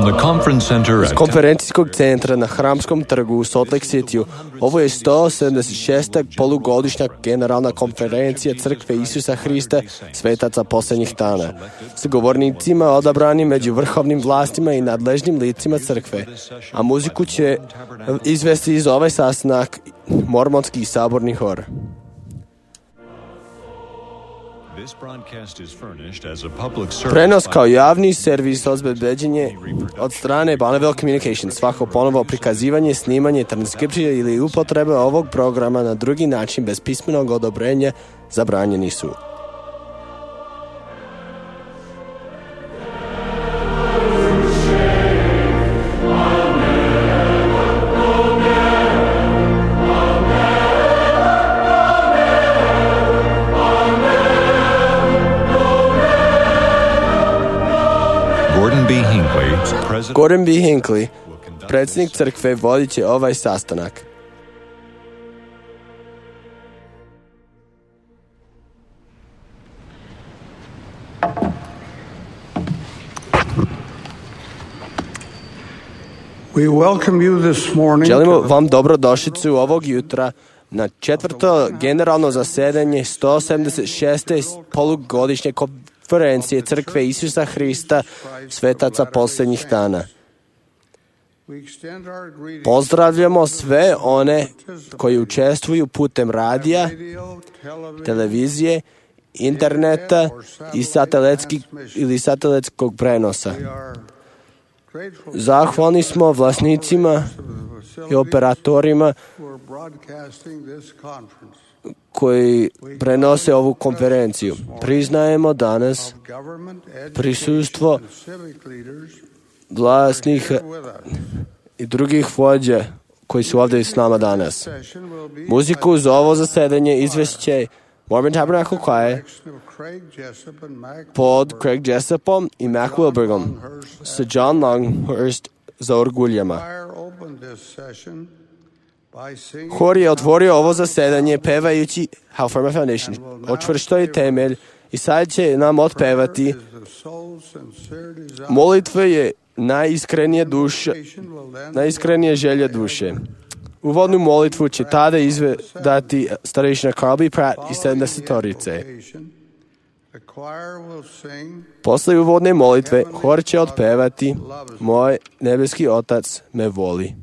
Iz konferencijskog centra na Hramskom trgu u Salt Lake Cityu. Ovo je 176. polugodišnja generalna konferencija Crkve Isusa Hrista, svetaca posljednjih dana, s govornicima odabranim među vrhovnim vlastima i nadležnim licima crkve, a muziku će izvesti iz ovaj sastanak mormonski saborni hor. Prenos kao javni servis obezbeđenje od strane Bonneville Communications. Svako ponovo prikazivanje, snimanje, transkripcija ili upotreba ovog programa na drugi način bez pismenog odobrenja zabranjeni su. Gordon B. Hinckley, predsjednik crkve, vodit će ovaj sastanak. Želimo vam dobrodošlicu ovog jutra na četvrto generalno zasedanje 176. polugodišnje konferencije Crkve Isusa Hrista, svetaca posljednjih dana. Pozdravljamo sve one koji učestvuju putem radija, televizije, interneta i satelitskog prenosa. Zahvalni smo vlasnicima i operatorima koji prenose ovu konferenciju. Priznajemo danas prisustvo vlasnih i drugih vođa koji su ovdje s nama danas. Muziku za ovo zasedanje izvešće Mormon Tabernacle Choir pod Craig Jessupom i Mac Wilbergom sa John Longhurst za orguljama. Hor je otvorio ovo zasedanje pevajući How Firm a Foundation, očvrsto je temelj, i sad će nam otpevati molitva je najiskrenije želje duše. Uvodnu molitvu će tada izvedati starešina Carl B. Pratt i 70-torice. Posle uvodne molitve hor će otpevati Moj nebeski Otac me voli.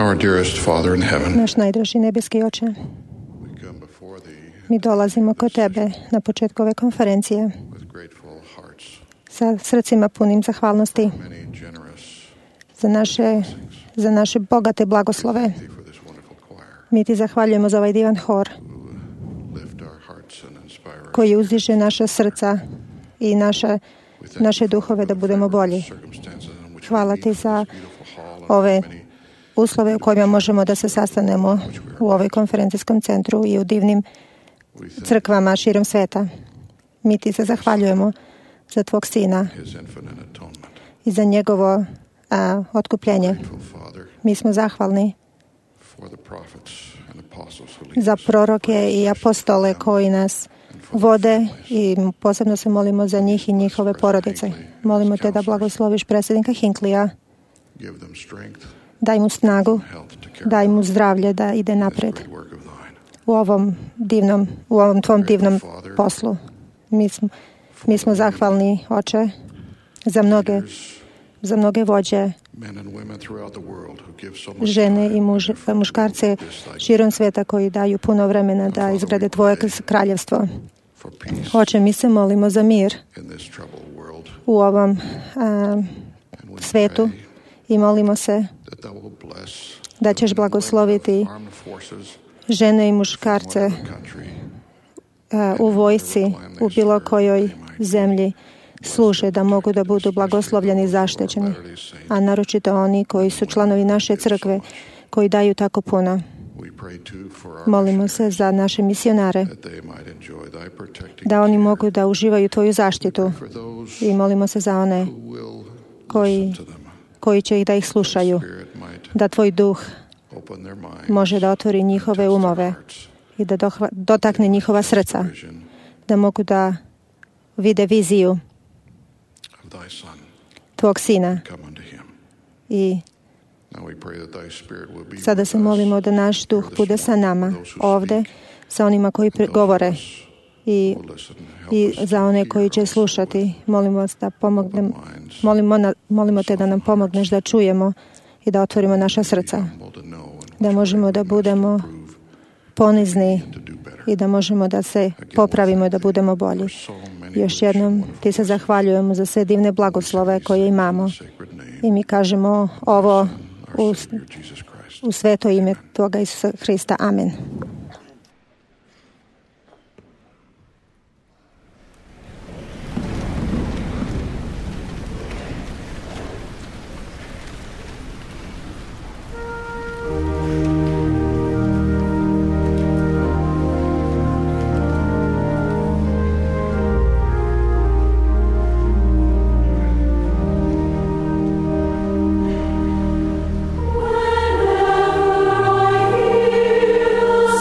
Our dearest Father in heaven, Naš najdraži nebeski Oče, we come before Thee mi dolazimo kod Tebe na početku ove konferencije with grateful hearts, sa srcima punim zahvalnosti many generous za naše bogate blagoslove. Thee for this wonderful choir Mi Ti zahvaljujemo za ovaj divan hor who lift our hearts and inspire us. koji uzdiže naša srca i naše duhove da budemo bolji. Circumstances in which Hvala we Ti meet for za this beautiful hall and ove many uslove u kojima možemo da se sastanemo u ovoj konferencijskom centru i u divnim we thank crkvama širom sveta. Mi Ti se zahvaljujemo za Tvog Sina His infinite atonement. i za njegovo otkupljenje. Grateful Father Mi smo zahvalni for the prophets and apostles who lead za us. proroke i apostole koji nas vode i posebno se molimo za njih i njihove porodice. Molimo Te da blagosloviš predsjednika Hinklija, Give them strength, daj mu snagu, health to carry daj mu zdravlje da ide this napred great work of Thine. u ovom Tvom divnom poslu. Mi smo zahvalni, Oče, za mnoge vođe, Men and women throughout the world who give so much žene time i muškarce širom sveta koji daju puno vremena da izgrade Tvoje kraljevstvo. for peace Oče, mi se molimo za mir in this troubled world. u ovom And we svetu pray i molimo se that Thou will bless da ćeš blagosloviti armed forces žene i from muškarce whatever country u vojsci, u bilo kojoj zemlji služe da mogu da budu blagoslovljeni i zaštićeni, a naročito oni koji su članovi naše crkve, koji daju tako puno. we pray too for our Molimo se za naše misionare, that they might enjoy Thy protecting da oni mogu da uživaju Tvoju zaštitu for those i molimo se za one who will koji, listen to them. koji će ih da ih slušaju, Spirit might da Tvoj duh open their minds, može da otvori njihove umove i da dotakne njihova srca, vision da mogu da vide viziju of Thy Son Tvog Sina. come unto Him. I Now we pray that Thy Spirit will be sada with se us, molimo da naš duh bude sa nama ovde, sa onima koji govore i, who listen, help us za one koji će slušati. Molimo vas da pomognem, molimo Te da nam pomogneš da čujemo i da otvorimo naša srca, humble to know and da možemo da budemo ponizni to do better. i da možemo da se popravimo i da budemo bolji. So many Još jednom Ti se zahvaljujemo za sve divne blagoslove koje imamo sacred name, i mi kažemo ovo our Savior Jesus Christ. u sveto ime Tvoga Isusa Hrista. Amen. Whenever I hear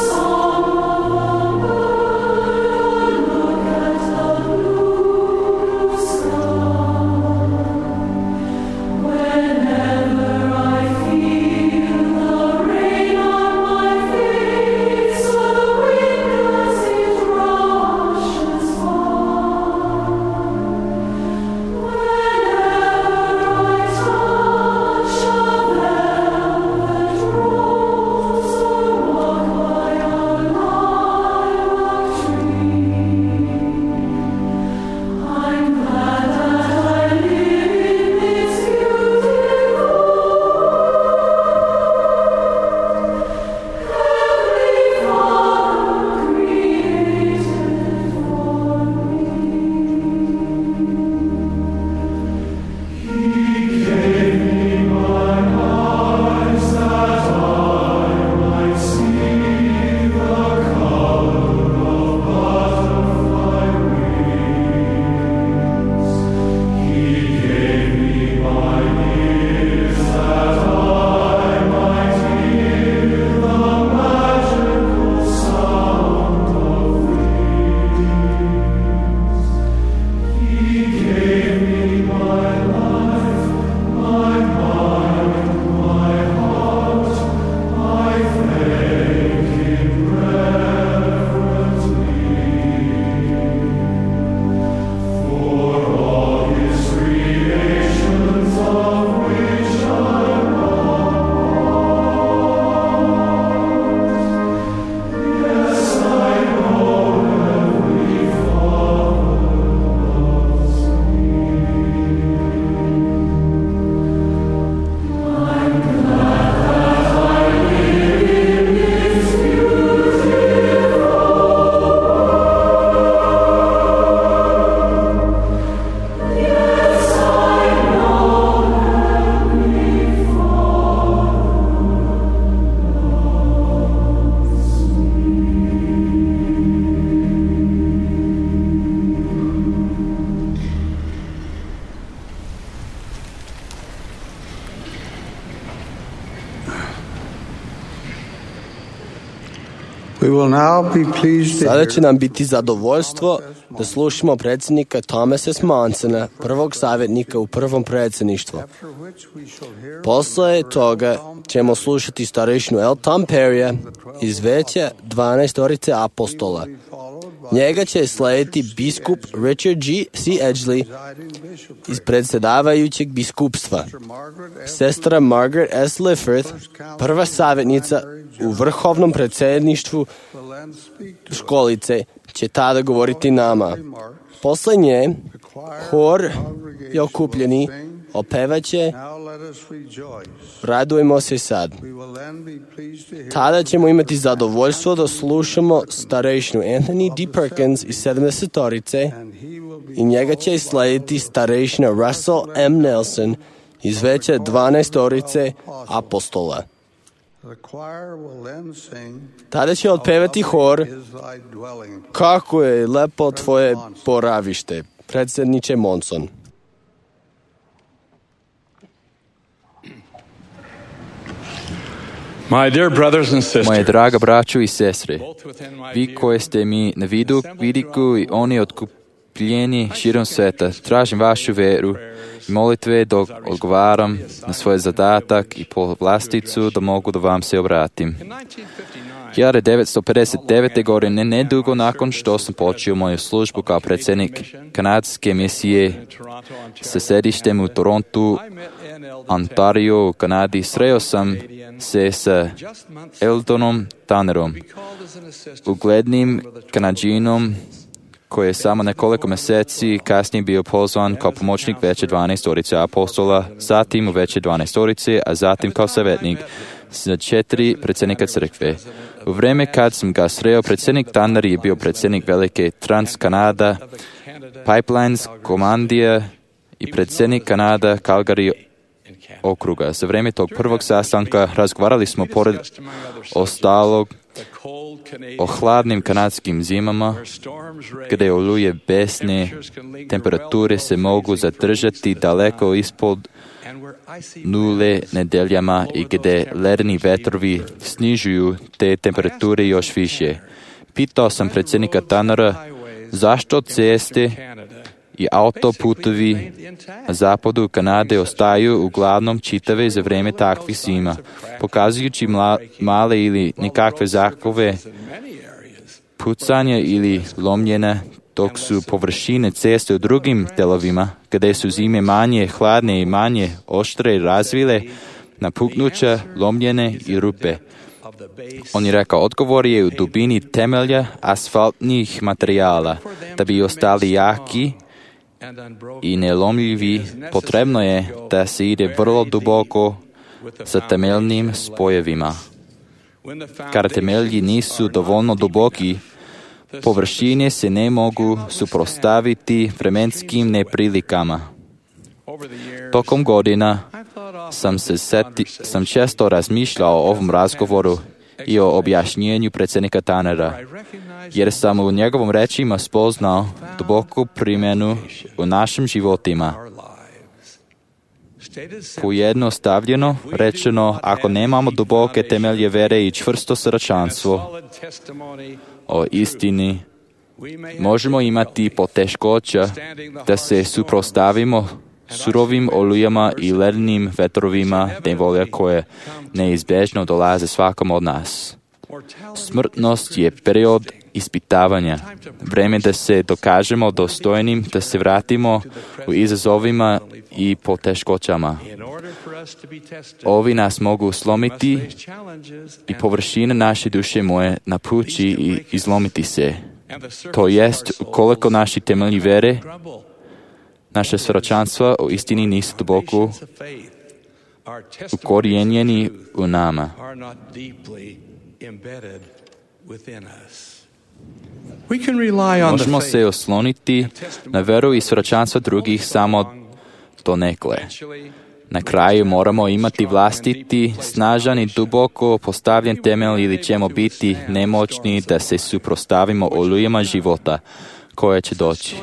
Sada će nam biti zadovoljstvo da slušamo predsjednika Thomasa S. Monsona, prvog savjetnika u prvom predsjedništvu. Posle toga ćemo slušati starešinu L. Tom Perrya iz Veća 12 apostola. Njega će slediti biskup Richard G. C. Edgley iz predsjedavajućeg biskupstva. Sestra Margaret S. Lifford, prva savjetnica u vrhovnom predsjedništvu školice, će tada govoriti nama. Posle nje, hor i okupljeni opevaće Radujemo se sad. Tada ćemo imati zadovoljstvo da slušamo starešinu Anthony D. Perkins iz 70-orice i njega će slediti starešina Russell M. Nelson iz Veća 12 apostola. Tada će otpevati hor Kako je lepo tvoje boravište, predsjedniče Monson. Moje draga braćo i sestre, vi koji ste mi na vidiku i oni otkupljeni širom sveta, tražim vašu veru i molitve dok odgovaram na svoj zadatak i povlasticu da mogu da vam se obratim. 1959. godine, nedugo nakon što sam počeo moju službu kao predsjednik kanadske misije sa sedištem u Torontu, Ontario, u Kanadi, sreo sam se sa Eldonom Tannerom, uglednim Kanadžinom koji je samo nekoliko mjeseci kasnije bio pozvan kao pomoćnik Veće 12 apostola, zatim u Veće 12, a zatim kao savjetnik za 4 predsjednika crkve. U vrijeme kad sam ga sreo, predsjednik Tanner je bio predsjednik velike Trans-Canada Pipelines komandija i predsjednik Kanada Calgary okruga. Za vrijeme tog prvog sastanka razgovarali smo pored ostalog o hladnim kanadskim zimama, gdje oluje besne temperature se mogu zadržati daleko ispod nule nedeljama i gdje ledeni vetrovi snižuju te temperature još više. Pitao sam predsjednika Tannera zašto ceste i autoputovi na zapadu Kanade ostaju uglavnom čitave za vrijeme takvih zima, pokazujući male ili nikakve znakove pucanja ili lomljenja, dok su površine ceste u drugim delovima, gdje su zime manje hladne i manje oštre razvile napuknuća, lomljene i rupe. On je rekao, odgovor je u dubini temelja asfaltnih materijala. Da bi ostali jaki i nelomljivi, potrebno je da se ide vrlo duboko sa temeljnim spojevima. Kada temelji nisu dovoljno duboki, površine se ne mogu suprotstaviti vremenskim neprilikama. Tokom godina sam često razmišljao o ovom razgovoru i o objašnjenju predsjednika Tannera, jer sam u njegovom rečima spoznao duboku primjenu u našim životima. Pojednostavljeno rečeno, ako nemamo duboke temelje vere i čvrsto srčanstvo o istini, možemo imati poteškoća da se suprotstavimo surovim olujama i ledenim vetrovima nevolja koje neizbježno dolaze svakom od nas. Smrtnost je period ispitavanja, vrijeme da se dokažemo dostojnim, da se vratimo u izazovima i poteškoćama. Ovi nas mogu slomiti i površina naše duše moje napući i izlomiti se. To jest, ukoliko naši temelji vere, naše svjedočanstva o istini nisu duboko ukorijenjeni u nama. Možemo se osloniti na veru i svjedočanstva drugih samo donekle. Na kraju moramo imati vlastiti, snažan i duboko postavljen temelj ili ćemo biti nemoćni da se suprotstavimo olujama života koje će doći.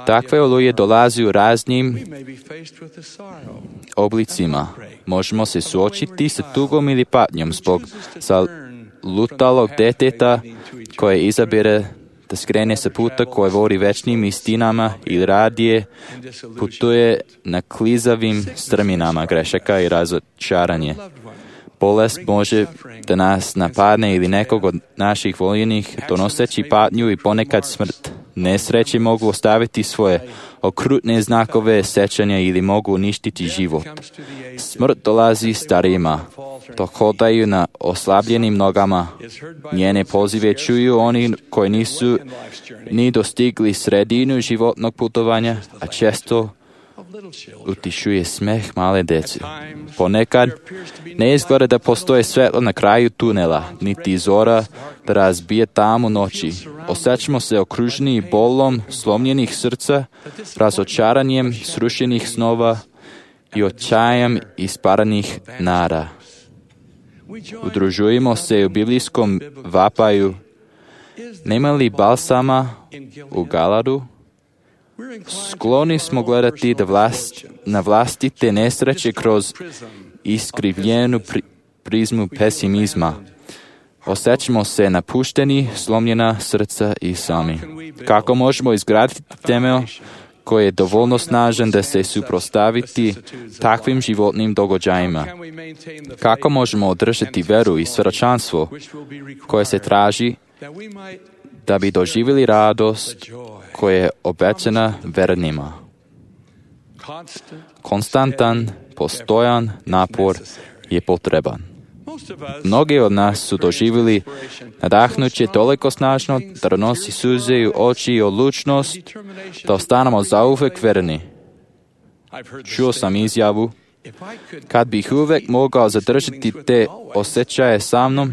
Takve oluje dolazi u raznim oblicima. Možemo se suočiti sa tugom ili patnjom zbog lutalog deteta koje izabire da skrene sa puta koje vodi večnim istinama ili radije putuje na klizavim strminama grešaka i razočaranje. Bolest može da nas napadne ili nekog od naših voljenih, donoseći patnju i ponekad smrt. Nesreće mogu ostaviti svoje okrutne znakove sećanja ili mogu uništiti život. Smrt dolazi starijima, dok hodaju na oslabljenim nogama. Njene pozive čuju oni koji nisu ni dostigli sredinu životnog putovanja, a često utišuje smeh male dece. Ponekad ne izgleda da postoje svetlo na kraju tunela, niti zora da razbije tamu noći. Osjećamo se okruženi bolom slomljenih srca, razočaranjem srušenih snova i očajem isparanih nara. Udružujemo se u biblijskom vapaju. Nema li balsama u Galadu? Skloni smo gledati na vlastite nesreće kroz iskrivljenu prizmu pesimizma. Osjećamo se napušteni, slomljena srca i sami. Kako možemo izgraditi temelj koji je dovoljno snažan da se suprotstaviti takvim životnim događajima? Kako možemo održati veru i svjedočanstvo koje se traži da bi doživjeli radost koja je obećana vernima? Konstantan, postojan napor je potreban. Mnogi od nas su doživjeli nadahnuće toliko snažno da donosi suze u oči i odlučnost da ostanemo zauvek verni. Čuo sam izjavu: kad bih uvek mogao zadržati te osjećaje sa mnom,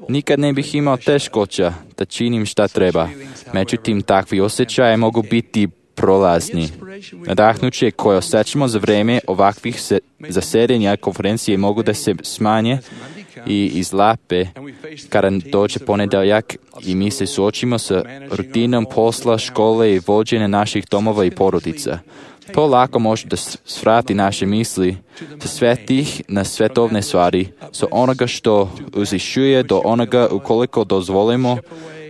nikad ne bih imao teškoća da činim šta treba. Međutim, takvi osjećaje mogu biti prolazni. Nadahnuće koje osjećamo za vreme ovakvih zasedenja konferencije mogu da se smanje i izlape kada dođe ponedeljak i mi se suočimo sa rutinom posla, škole i vođenja naših domova i porodica. To lako može da svrati naše misli sa svetih na svetovne stvari, sa onoga što uzvišuje do onoga ukoliko dozvolimo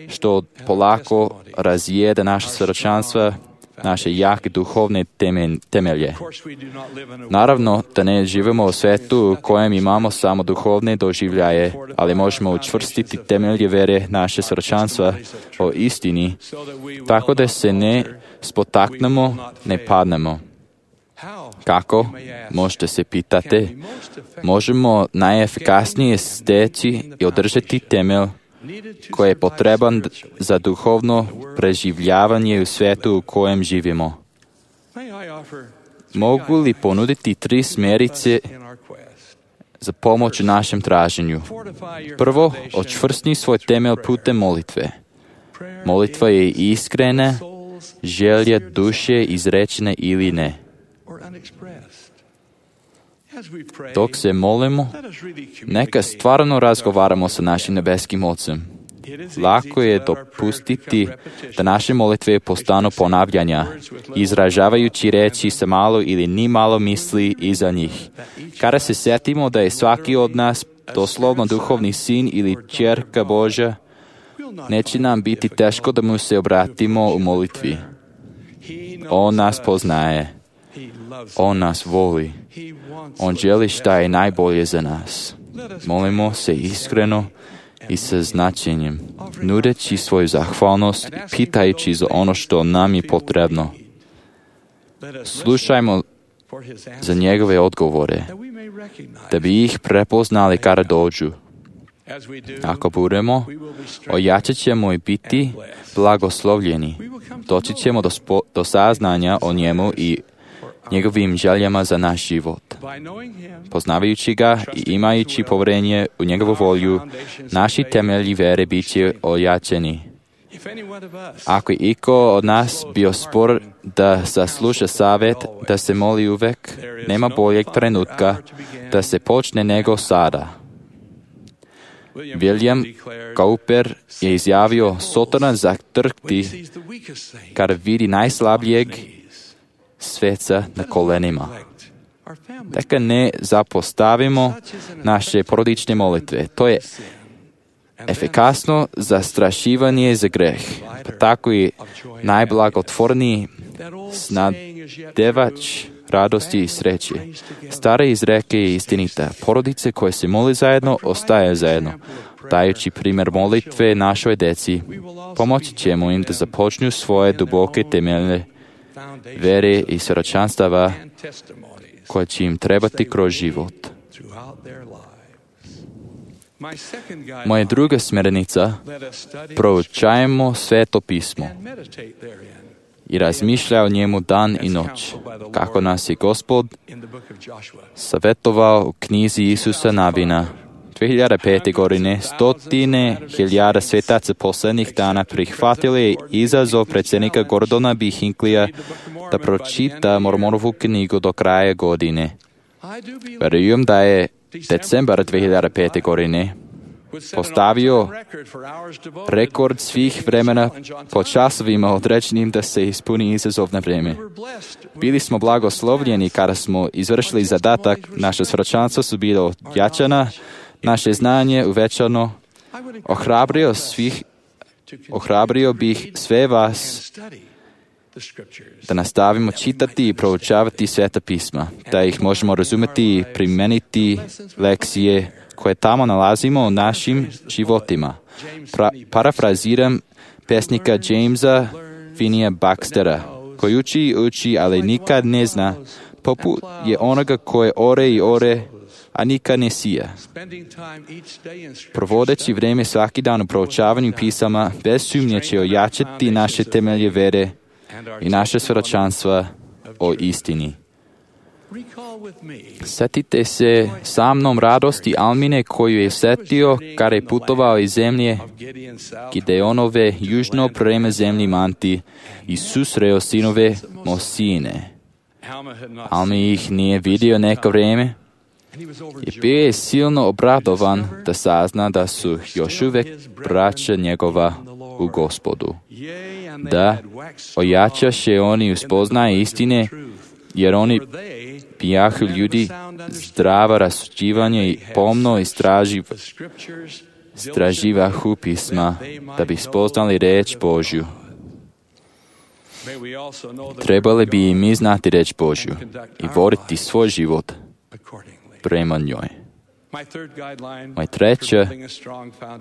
što polako razjeda naše svjedočanstva, naše jake duhovne temelje. Naravno da ne živimo u svetu u kojem imamo samo duhovne doživljaje, ali možemo učvrstiti temelje vere naše svjedočanstva o istini, tako da se ne spotaknemo, ne padnemo. Kako? Možete se pitati. Možemo najefikasnije steći i održati temelj koji je potreban za duhovno preživljavanje u svijetu u kojem živimo. Mogu li ponuditi 3 smjerice za pomoć u našem traženju? Prvo, očvrstni svoj temelj putem molitve. Molitva je iskrena želja duše izrečene ili ne. Dok se molimo, neka stvarno razgovaramo sa našim nebeskim Ocem. Lako je dopustiti da naše molitve postanu ponavljanja, izražavajući reći sa malo ili ni malo misli iza njih. Kada se sjetimo da je svaki od nas doslovno duhovni sin ili ćerka Božja, neće nam biti teško da mu se obratimo u molitvi. On nas poznaje. On nas voli. On želi šta je najbolje za nas. Molimo se iskreno i sa značenjem, nudeći svoju zahvalnost i pitajući za ono što nam je potrebno. Slušajmo za njegove odgovore, da bi ih prepoznali kada dođu. Ako budemo, ojačat ćemo i biti blagoslovljeni. Doći ćemo do saznanja o njemu i njegovim željama za naš život. Poznavajući ga i imajući povjerenje u njegovu volju, naši temelji vere bit će ojačeni. Ako je iko od nas bio spor da sasluša savjet, da se moli uvek, nema boljeg trenutka da se počne nego sada. William Cowper je izjavio: Sotona zatrkti kada vidi najslabijeg sveca na kolenima. Dakle, ne zapostavimo naše porodične molitve. To je efikasno zastrašivanje za greh, pa tako i najblagotvorniji snadevač radosti i sreće. Stara izreka je istinita. Porodice koje se moli zajedno, ostaje zajedno. Dajući primjer molitve našoj deci, pomoći ćemo im da započnu svoje duboke temelje vere i svjedočanstava koje će im trebati kroz život. Moja druga smjernica, proučajmo Sveto pismo i razmišljaj o njemu dan i noć, kako nas je Gospod savjetovao u knjizi Isusa Nabina. 2005. godine stotine hiljada svetaca posljednjih dana prihvatili izazov predsjednika Gordona B. Hinckleyja da pročita Mormonovu knjigu do kraja godine. Vjerujem da je decembar 2005. godine postavio rekord svih vremena po časovima određenim da se ispuni izazov na vrijeme. Bili smo blagoslovljeni kada smo izvršili zadatak, naše svjedočanstva su bilo jačana, naše znanje uvećano. Ohrabrio bih sve vas da nastavimo čitati i proučavati Sveta pisma, da ih možemo razumjeti i primeniti lekcije koje tamo nalazimo u našim životima. Parafraziram pesnika Jamesa Finnea Baxtera, koji uči, ali nikad ne zna, poput je onoga koje ore i ore, a nikad ne sija. Provodeći vrijeme svaki dan u proučavanju pisama, bez sumnje će ojačati naše temelje vere i naše svjedočanstva o istini. Sjetite se sa mnom radosti Almine koju je sjetio kada je putovao iz zemlje Gideonove južno prema zemlji Manti i susreo sinove Mosine. Almi ih nije vidio neko vrijeme i bio je silno obradovan da sazna da su još uvijek braća njegova u Gospodu. Da ojačaše oni uspoznaje istine, jer oni pijahu ljudi zdrava rasuđivanje i pomno istraživahu pisma, da bi spoznali reč Božju. Trebali bi i mi znati reč Božju i voditi svoj život prema njoj. Moja treća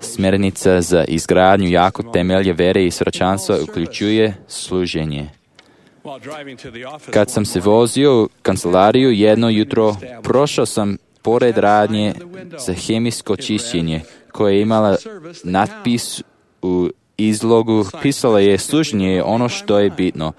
smjernica za izgradnju jakog temelja vere i svjedočanstva uključuje služenje. Kad sam se vozio u kancelariju jedno jutro, prošao sam pored radnje za hemijsko čišćenje, koja je imala natpis u izlogu. Pisala je: služenje je ono što je bitno.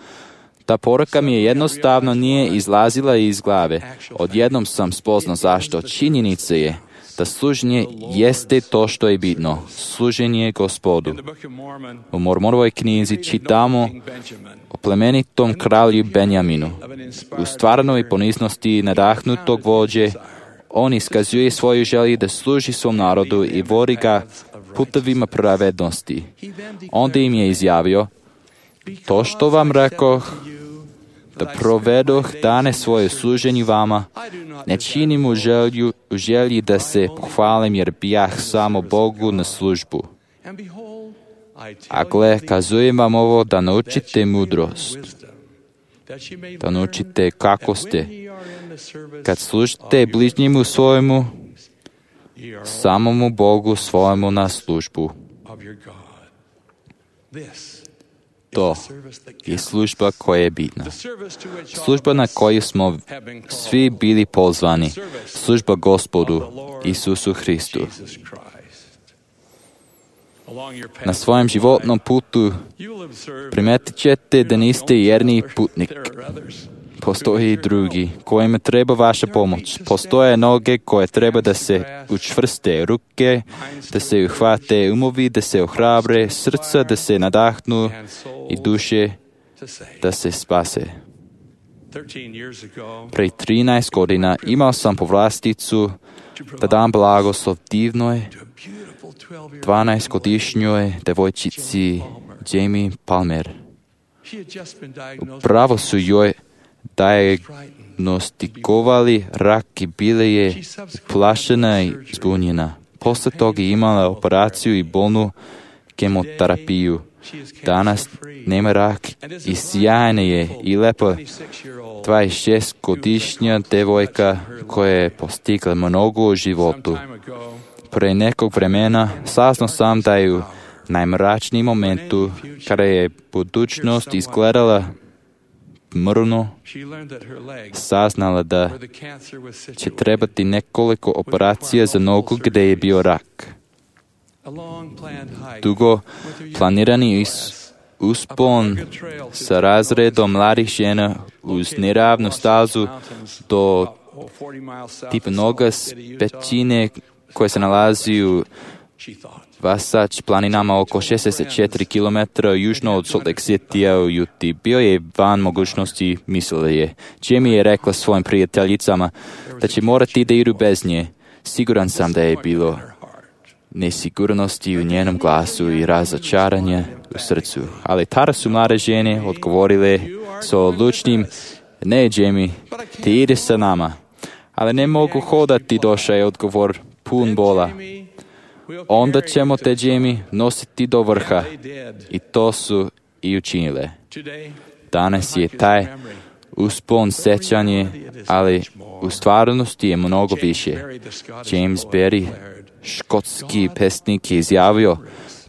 Ta poruka mi je jednostavno nije izlazila iz glave. Odjednom sam spoznao zašto. Činjenica je da služenje jeste to što je bitno. Služenje Gospodu. U Mormonovoj knjizi čitamo o plemenitom kralju Benjaminu. U stvarnoj poniznosti nadahnutog vođe, on iskazuje svoju želju da služi svom narodu i vodi ga putovima pravednosti. Onda im je izjavio: to što vam rekoh, da provedoh dane svoje služenju vama, ne činim u želji da se pohvalim, jer bijah samo Bogu na službu. A gle, kazujem vam ovo da naučite mudrost, da naučite kako ste. Kad služite bližnjemu svojemu, samomu Bogu svojemu na službu. To je služba koja je bitna. Služba na koju smo svi bili pozvani. Služba Gospodu Isusu Hristu. Na svojem životnom putu primetit ćete da niste jedini putnik. Postoje i drugi kojima treba vaša pomoć. Postoje noge koje treba da se učvrste, ruke da se uhvate, umovi da se ohrabre, srca da se nadahnu i duše da se spase. Pre 13 godina imao sam povlasticu da dam blagoslov divnoj 12-godišnjoj devojčici Jamie Palmer. Upravo su joj diagnostikovali rak i bila je plašena i zbunjena. Posle toga je imala operaciju i bolnu kemoterapiju. Danas nema rak i sjajna je i lepa 26-godišnja devojka koja je postigla mnogo u životu. Pre nekog vremena saznao sam da je u najmračnijem momentu, kada je budućnost izgledala mrno, saznala da će trebati nekoliko operacija za nogu gdje je bio rak. Dugo planirani uspon sa razredom mladih žena uz neravnu stazu do tipa noga s pećine koje se nalazi u Vasač planinama oko 64 km južno od Salt Lake Citya u Utah. Bio je van mogućnosti, mislila je. Jamie je rekla svojim prijateljicama da će morati da idu bez nje. Siguran sam da je bilo nesigurnosti u njenom glasu i razočaranje u srcu. Ali tada su mlade žene odgovorile s odlučnim: ne, Jamie, ti ideš sa nama. Ali ne mogu hodati, došao je odgovor pun bola. Onda ćemo te, Jamie, nositi do vrha. I to su i učinile. Danas je taj uspon sećanje, ali u stvarnosti je mnogo više. James Berry, škotski pesnik, je izjavio: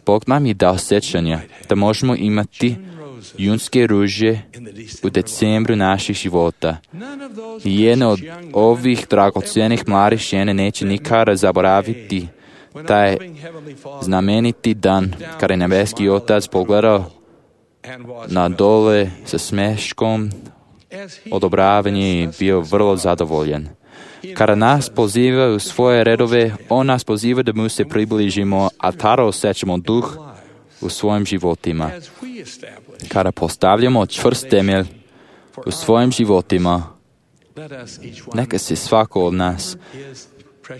Bog nam je dao sećanja da možemo imati junske ruže u decembru naših života. I jedna od ovih dragocenih mladih žene neće nikada zaboraviti taj znameniti dan kada je nebeski Otac pogledao na dole sa smeškom odobravanje i bio vrlo zadovoljan. Kada nas poziva u svoje redove, on nas poziva da mu se približimo, a tada osjećamo duh u svojim životima. Kada postavljamo čvrst temelj u svojim životima, neka se svako od nas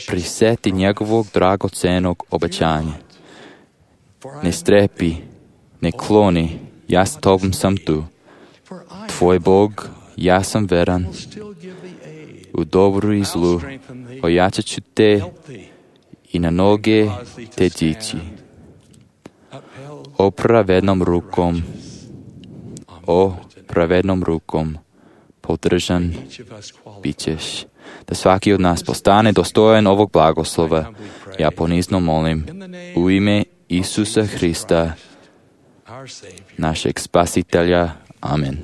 prisjeti njegovog dragocenog obećanja. Ne strepi, ne kloni, ja s tobom sam tu. Tvoj Bog, ja sam veran. U dobru i zlu ojačat ću te i na noge te dići. O pravednom rukom podržan bit ćeš. Da svaki od nas postane dostojan ovog blagoslova, ja ponizno molim u ime Isusa Hrista, našeg Spasitelja. Amen.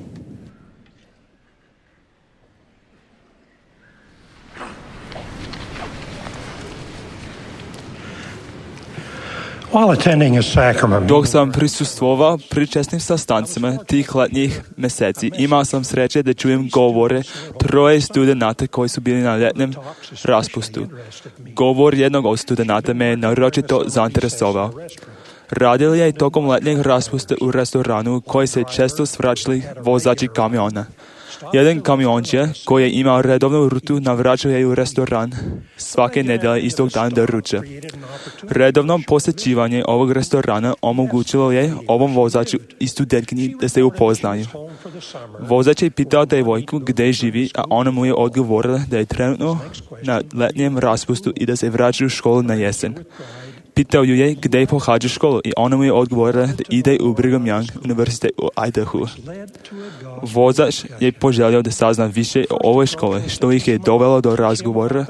Dok sam prisustvovao pričesnim sastancima tih letnjih mjeseci, imao sam sreće da čujem govore 3 studenata koji su bili na ljetnom raspustu. Govor jednog od studenata me je naročito zainteresovao. Radili je tokom letnjeg raspusta u restoranu koji se često svraćali vozači kamiona. Jedan kamionđija koji je imao redovnu rutu navraćao je u restoran svake nedelje istog dana do ruča. Redovno posjećivanje ovog restorana omogućilo je ovom vozaču i studentkinji da se upoznaju. Vozač je pitao devojku gdje živi, a ona mu je odgovorila da je trenutno na letnjem raspustu i da se vraća u školu na jesen. Pitao ju je gdje pohađa školu i ona mu je odgovorila da ide u Brigham Young univerzitet u Idahu. Vozač je poželio da sazna više o ovoj školi, što ih je dovelo do razgovora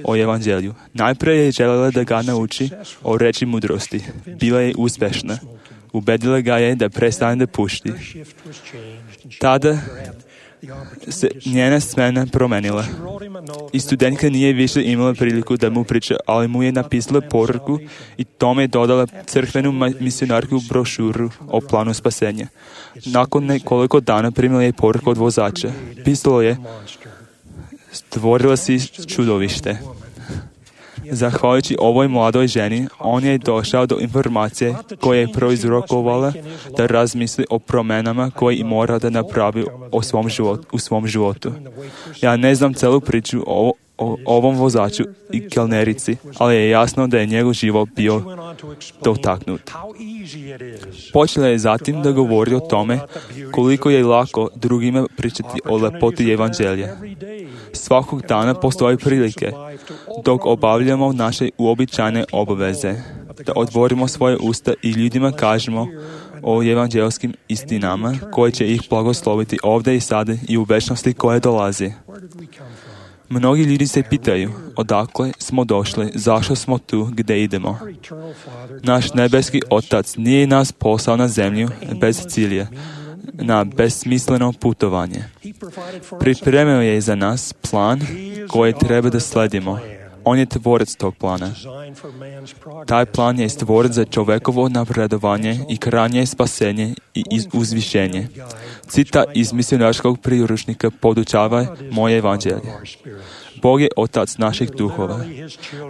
o evanđelju. Najprije je željela da ga nauči o reči mudrosti. Bila je uspješna. Ubedila ga je da prestane da puši. Tada se njena smena promenila. I studentka nije više imala priliku da mu priča, ali mu je napisala poruku i tome je dodala crkvenu misionarsku brošuru o planu spasenja. Nakon nekoliko dana primila je poruku od vozača. Pisalo je: stvorila si čudovište. Zahvaljujući ovoj mladoj ženi, on je došao do informacije koja je proizrokovala da razmisli o promjenama koje mora da napravi u svom životu. Ja ne znam celu priču o ovom vozaču i kelnerici, ali je jasno da je njegov život bio dotaknut. Počela je zatim da govori o tome koliko je lako drugima pričati o lepoti evanđelja. Svakog dana postoje prilike, dok obavljamo naše uobičajene obaveze, da otvorimo svoje usta i ljudima kažemo o evanđelskim istinama koje će ih blagosloviti ovdje i sada i u večnosti koje dolazi. Mnogi ljudi se pitaju odakle smo došli, zašto smo tu, gdje idemo. Naš nebeski Otac nije nas poslao na zemlju bez cilja, na besmisleno putovanje. Pripremio je za nas plan koji treba da sledimo. On je tvorac tog plana. Taj plan je stvoren za čovekovo napredovanje i krajnje spasenje i uzvišenje. Citat iz misionarskog priručnika podučava moje evanđelje. Bog je Otac naših duhova.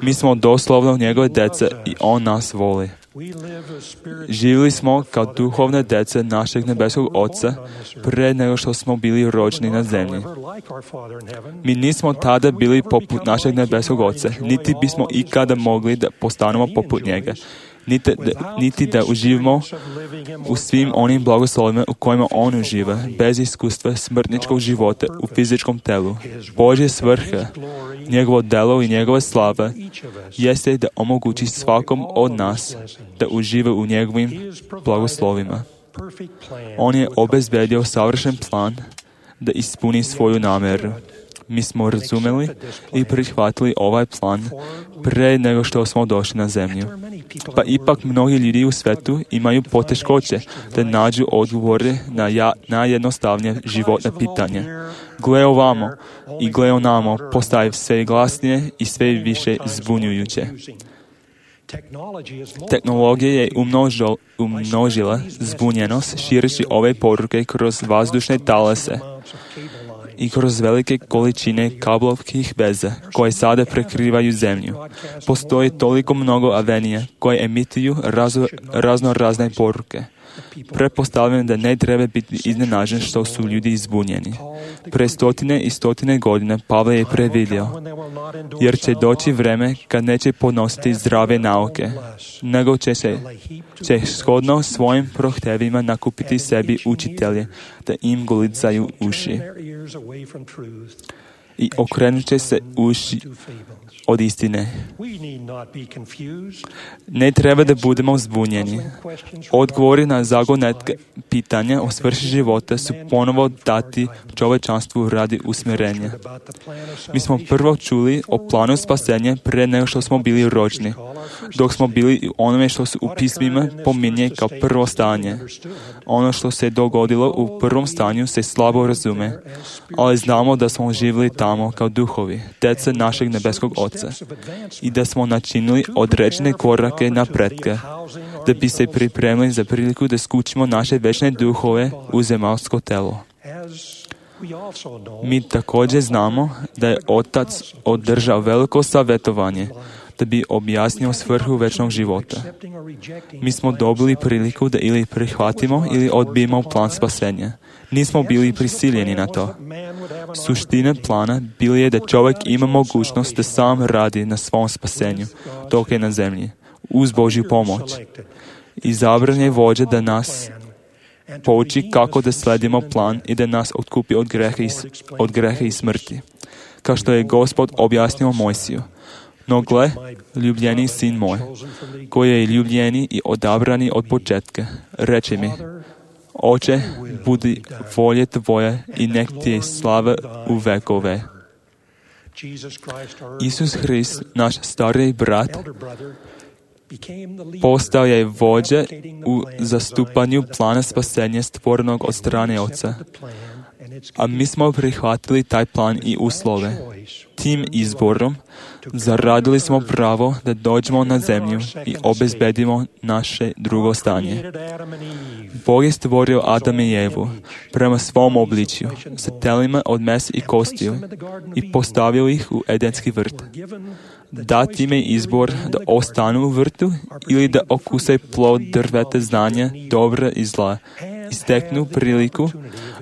Mi smo doslovno njegove dece i On nas voli. Živjeli smo kao duhovne dece našeg nebeskog Oca pre nego što smo bili rođeni na zemlji. Mi nismo tada bili poput našeg nebeskog Oca, niti bismo ikada mogli da postanemo poput njega, niti da uživamo u svim onim blagoslovima u kojima on uživa, bez iskustva smrtničkog života u fizičkom telu. Božja svrha, njegovo delo i njegova slava jeste da omogući svakom od nas da uživa u njegovim blagoslovima. On je obezbedio savršen plan da ispuni svoju nameru. Mi smo razumeli i prihvatili ovaj plan pre nego što smo došli na zemlju. Pa ipak mnogi ljudi u svetu imaju poteškoće da nađu odgovore na najjednostavnije životne pitanje. Gle ovamo i gle onamo postaje sve glasnije i sve više zbunjujuće. Tehnologija je umnožila zbunjenost šireći ove poruke kroz vazdušne talase i kroz velike količine kablovskih veza koje sada prekrivaju zemlju. Postoji toliko mnogo avenija koje emituju razne poruke. Pretpostavljam da ne treba biti iznenađen što su ljudi izbunjeni. Pre stotine i stotine godina Pavle je predvidio, jer će doći vreme kad neće podnositi zdrave nauke, nego će shodno svojim prohtevima nakupiti sebi učitelje, da im golicaju uši. I okrenut će se uši od istine. Ne treba da budemo zbunjeni. Odgovori na zagonetke pitanja o svrši života su ponovo dati čovečanstvu radi usmjerenja. Mi smo prvo čuli o planu spasenja pre nego što smo bili rođeni, dok smo bili u onome što su u pismima pominje kao prvo stanje. Ono što se dogodilo u prvom stanju se slabo razume, ali znamo da smo živjeli tamo kao duhovi, djeca našeg nebeskog Oca, i da smo načinili određene korake napretka, da bi se pripremili za priliku da skućimo naše večne duhove u zemaljsko telo. Mi također znamo da je Otac održao veliko savjetovanje da bi objasnio svrhu večnog života. Mi smo dobili priliku da ili prihvatimo ili odbijemo plan spasenja. Nismo bili prisiljeni na to. Suština plana bila je da čovjek ima mogućnost da sam radi na svom spasenju dok je na zemlji, uz Božju pomoć. Izabran je vođa da nas pouči kako da sledimo plan i da nas otkupi od greha i smrti. Kao što je Gospod objasnio Mojsiju. No gle, ljubljeni sin moj, koji je ljubljeni i odabrani od početka, reče mi, Oče, budi volje tvoje i nek ti je slava u vekove. Isus Hrist, naš stariji brat, postao je vođa u zastupanju plana spasenja stvorenog od strane Oca. A mi smo prihvatili taj plan i uslove. Tim izborom zaradili smo pravo da dođemo na zemlju i obezbedimo naše drugo stanje. Bog je stvorio Adama i Evu prema svom obličju, sa telima od mesa i kostiju, i postavio ih u Edenski vrt. Dat im je izbor da ostanu u vrtu ili da okuse plod drveta znanja, dobra i zla, i steknu priliku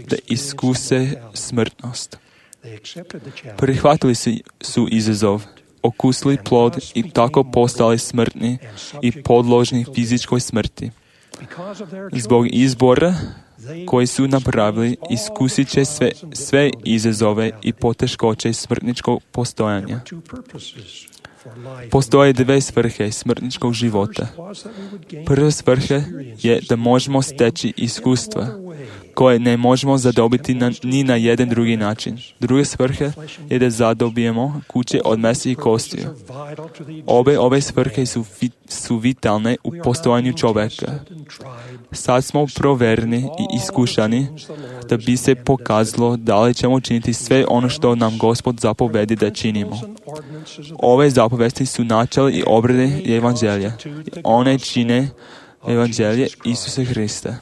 da iskuse smrtnost. Prihvatili su izazov, okusili plod i tako postali smrtni i podložni fizičkoj smrti. Zbog izbora koji su napravili, iskusit će sve izazove i poteškoće smrtničkog postojanja. Postoje dve svrhe smrtničkog života. Prva svrha je da možemo steći iskustva koje ne možemo zadobiti ni na jedan drugi način. Druga svrha je da zadobijemo kuće od mesa i kostiju. Ove svrhe su vitalne u postojanju čovjeka. Sad smo provereni i iskušani da bi se pokazalo da li ćemo činiti sve ono što nam Gospod zapovedi da činimo. Ove zapovesti su načela i obrede evanđelja. One čine evanđelje Isusa Hrista.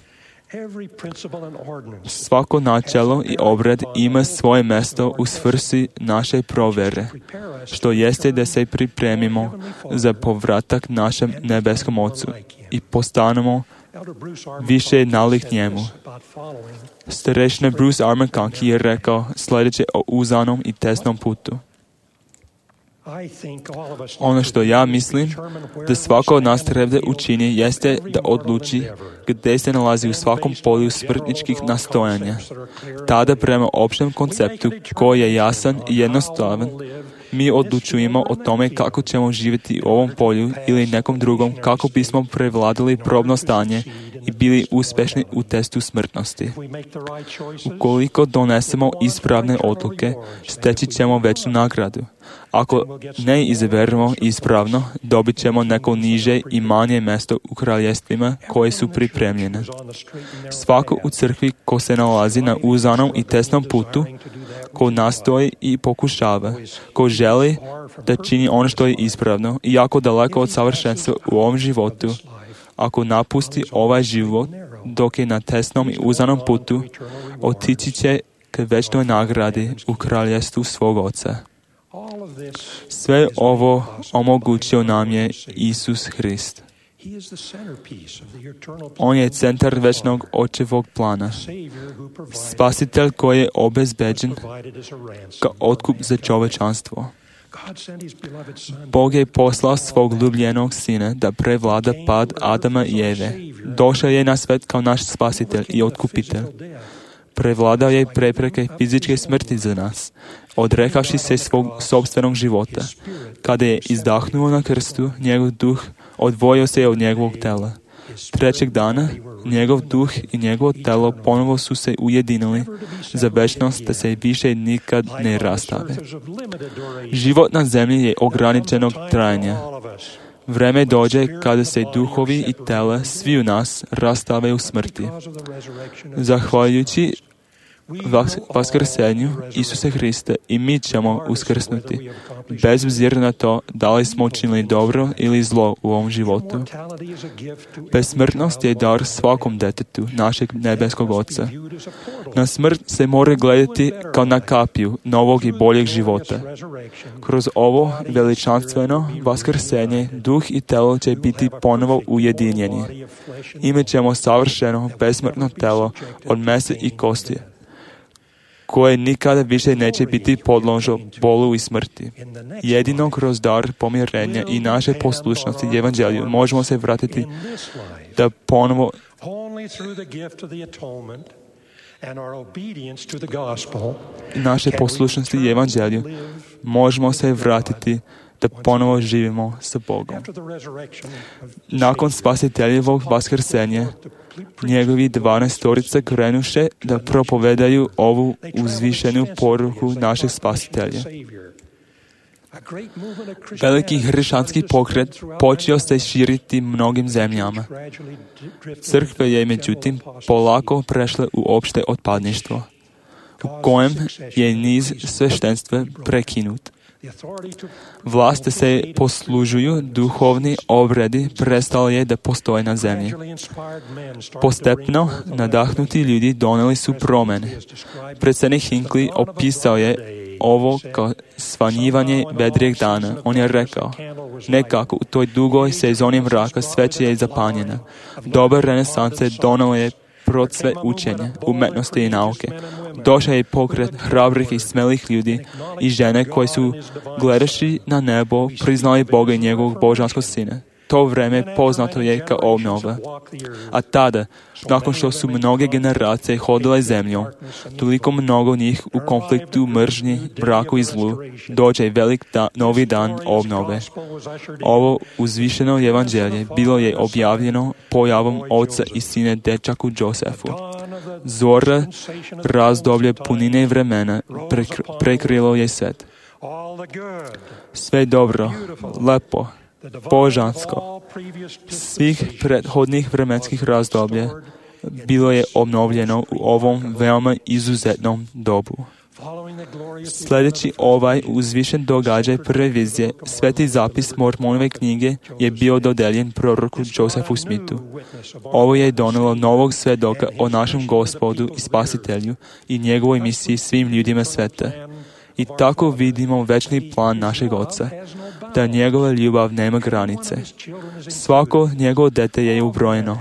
Svako načelo i obred ima svoje mjesto u svrsi naše provere, što jeste da se pripremimo za povratak našem nebeskom Ocu i postanemo više nalik njemu. Starešina Bruce R. McConkie je rekao sljedeće o uzanom i tesnom putu. Ono što ja mislim da svako od nas treba učini jeste da odluči gdje se nalazi u svakom polju smrtničkih nastojanja. Tada prema općem konceptu koji je jasan i jednostavan, mi odlučujemo o tome kako ćemo živjeti u ovom polju ili nekom drugom kako bismo prevladali probno stanje i bili uspješni u testu smrtnosti. Ukoliko donesemo ispravne odluke, steći ćemo veću nagradu. Ako ne izaberemo ispravno, dobit ćemo neko niže i manje mjesto u kraljestvima koje su pripremljene. Svako u crkvi ko se nalazi na uzanom i tesnom putu, ko nastoji i pokušava, ko želi da čini ono što je ispravno i jako daleko od savršenstva u ovom životu, ako napusti ovaj život dok je na tesnom i uzanom putu, otići će k večnoj nagradi u kraljestvu svog Oca. Sve ovo omogućio nam je Isus Hrist. On je centar večnog Očevog plana. Spasitelj koji je obezbeđen kao otkup za čovečanstvo. Bog je poslao svog ljubljenog sina da prevlada pad Adama i Eve. Došao je na svet kao naš spasitelj i otkupitelj. Prevladao je prepreke fizičke smrti za nas, odrekavši se svog sopstvenog života. Kada je izdahnuo na krstu, njegov duh odvojio se od njegovog tela. Trećeg dana, njegov duh i njegovo telo ponovo su se ujedinili za večnost da se više nikad ne rastave. Život na zemlji je ograničenog trajanja. Vreme dođe kada se duhovi i tela svi u nas rastave u smrti. Zahvaljujući vaskrsenju Isusa Hrista i mi ćemo uskrsnuti, bez obzira na to da li smo učinili dobro ili zlo u ovom životu. Besmrtnost je dar svakom detetu našeg nebeskog Oca. Na smrt se mora gledati kao na kapiju novog i boljeg života. Kroz ovo veličanstveno vaskrsenje duh i telo će biti ponovo ujedinjeni. Imat ćemo savršeno besmrtno telo od mesa i kosti, koje nikada više neće biti podložno bolu i smrti. Jedino kroz dar pomirenja i naše poslušnosti evanđelju možemo se vratiti da ponovo naše poslušnosti evanđelju možemo se vratiti da ponovo živimo sa Bogom. Nakon spasiteljevog vaskrsenja, njegovi 12 krenuše da propovedaju ovu uzvišenu poruku našeg spasitelja. Veliki hrišćanski pokret počeo se širiti mnogim zemljama. Crkva je međutim polako prešla u opšte otpadništvo, u kojem je niz sveštenstva prekinut. Vlast da se poslužuju duhovni obredi prestala je da postoje na zemlji. Postepno nadahnuti ljudi doneli su promjene. Predsjednik Hinckley opisao je ovo kao svanjivanje vedrijeg dana. On je rekao, nekako u toj dugoj sezoni mraka sveća je zapanjena. Doba renesanse donela je procve učenja, umetnosti i nauke. Došao je pokret hrabrih i smelih ljudi i žene koji su, gledajući na nebo, priznali Boga i njegovog božanskog sina. to vreme poznato je kao obnova. A tada, nakon što su mnoge generacije hodile zemljom, toliko mnogo njih u konfliktu, mržnji, mraku i zlu, dođe velik novi dan obnove. Ovo uzvišeno evanđelje bilo je objavljeno pojavom oca i sine dečaku Josefu. Zora razdoblje punine vremena prekrilo je svet. Sve dobro, lepo, božansko, svih prethodnih vremenskih razdoblja bilo je obnovljeno u ovom veoma izuzetnom dobu. Sljedeći ovaj uzvišen događaj prve vizije, sveti zapis Mormonove knjige je bio dodeljen proroku Josefu Smithu. Ovo je donelo novog svedoka o našem Gospodu i Spasitelju i njegovoj misiji svim ljudima sveta. I tako vidimo večni plan našeg Oca, da njegova ljubav nema granice. Svako njegovo dete je ubrojeno.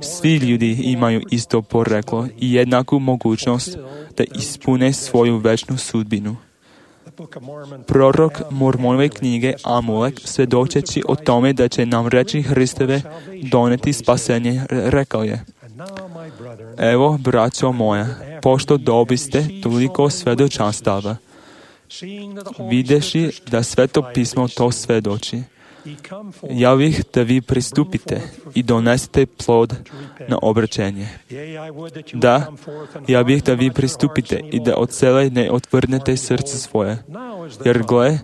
Svi ljudi imaju isto poreklo i jednaku mogućnost da ispune svoju večnu sudbinu. Prorok Mormonove knjige Amulek, svjedočeći o tome da će nam reči Hristove doneti spasenje, rekao je: Evo, braćo moja, pošto dobiste toliko svedočanstava, videši da Sveto pismo to svedoči, ja bih da vi pristupite i donesete plod na obraćenje. Da, ja bih da vi pristupite i da od cele ne otvrnete srce svoje, jer gle,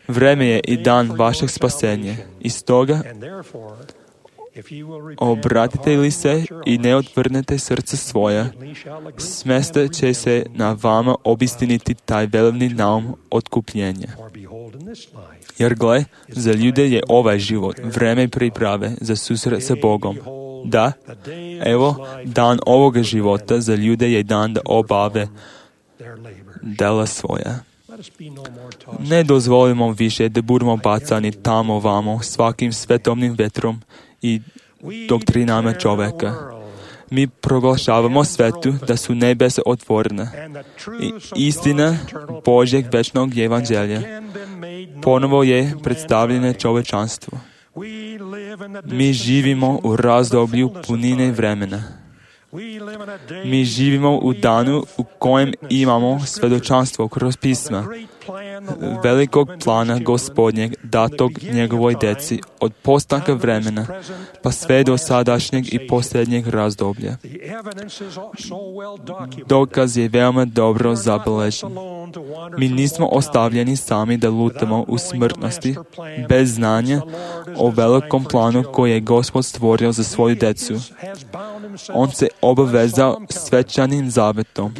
vreme je i dan vašeg spasenja. I stoga, obratite li se i ne otvrnete srce svoje, smesta će se na vama obistiniti taj velebni naum otkupljenja. Jer gle, za ljude je ovaj život vreme priprave za susret sa Bogom. Da, evo, dan ovoga života za ljude je dan da obave dela svoja. Ne dozvolimo više da budemo bacani tamo vamo svakim svetovnim vetrom i doktrinama čoveka. Mi proglašavamo svetu da su nebesa otvorena i istina Božjeg večnog evanđelja ponovo je predstavljena čovečanstvu. Mi živimo u razdoblju punine vremena. Mi živimo u danu u kojem imamo svedočanstvo kroz pisma velikog plana Gospodnjeg datog njegovoj deci od postanka vremena pa sve do sadašnjeg i posljednjeg razdoblja. Dokaz je veoma dobro zabeležen. Mi nismo ostavljeni sami da lutamo u smrtnosti bez znanja o velikom planu koji je Gospod stvorio za svoju decu. On se obavezao svečanim zavetom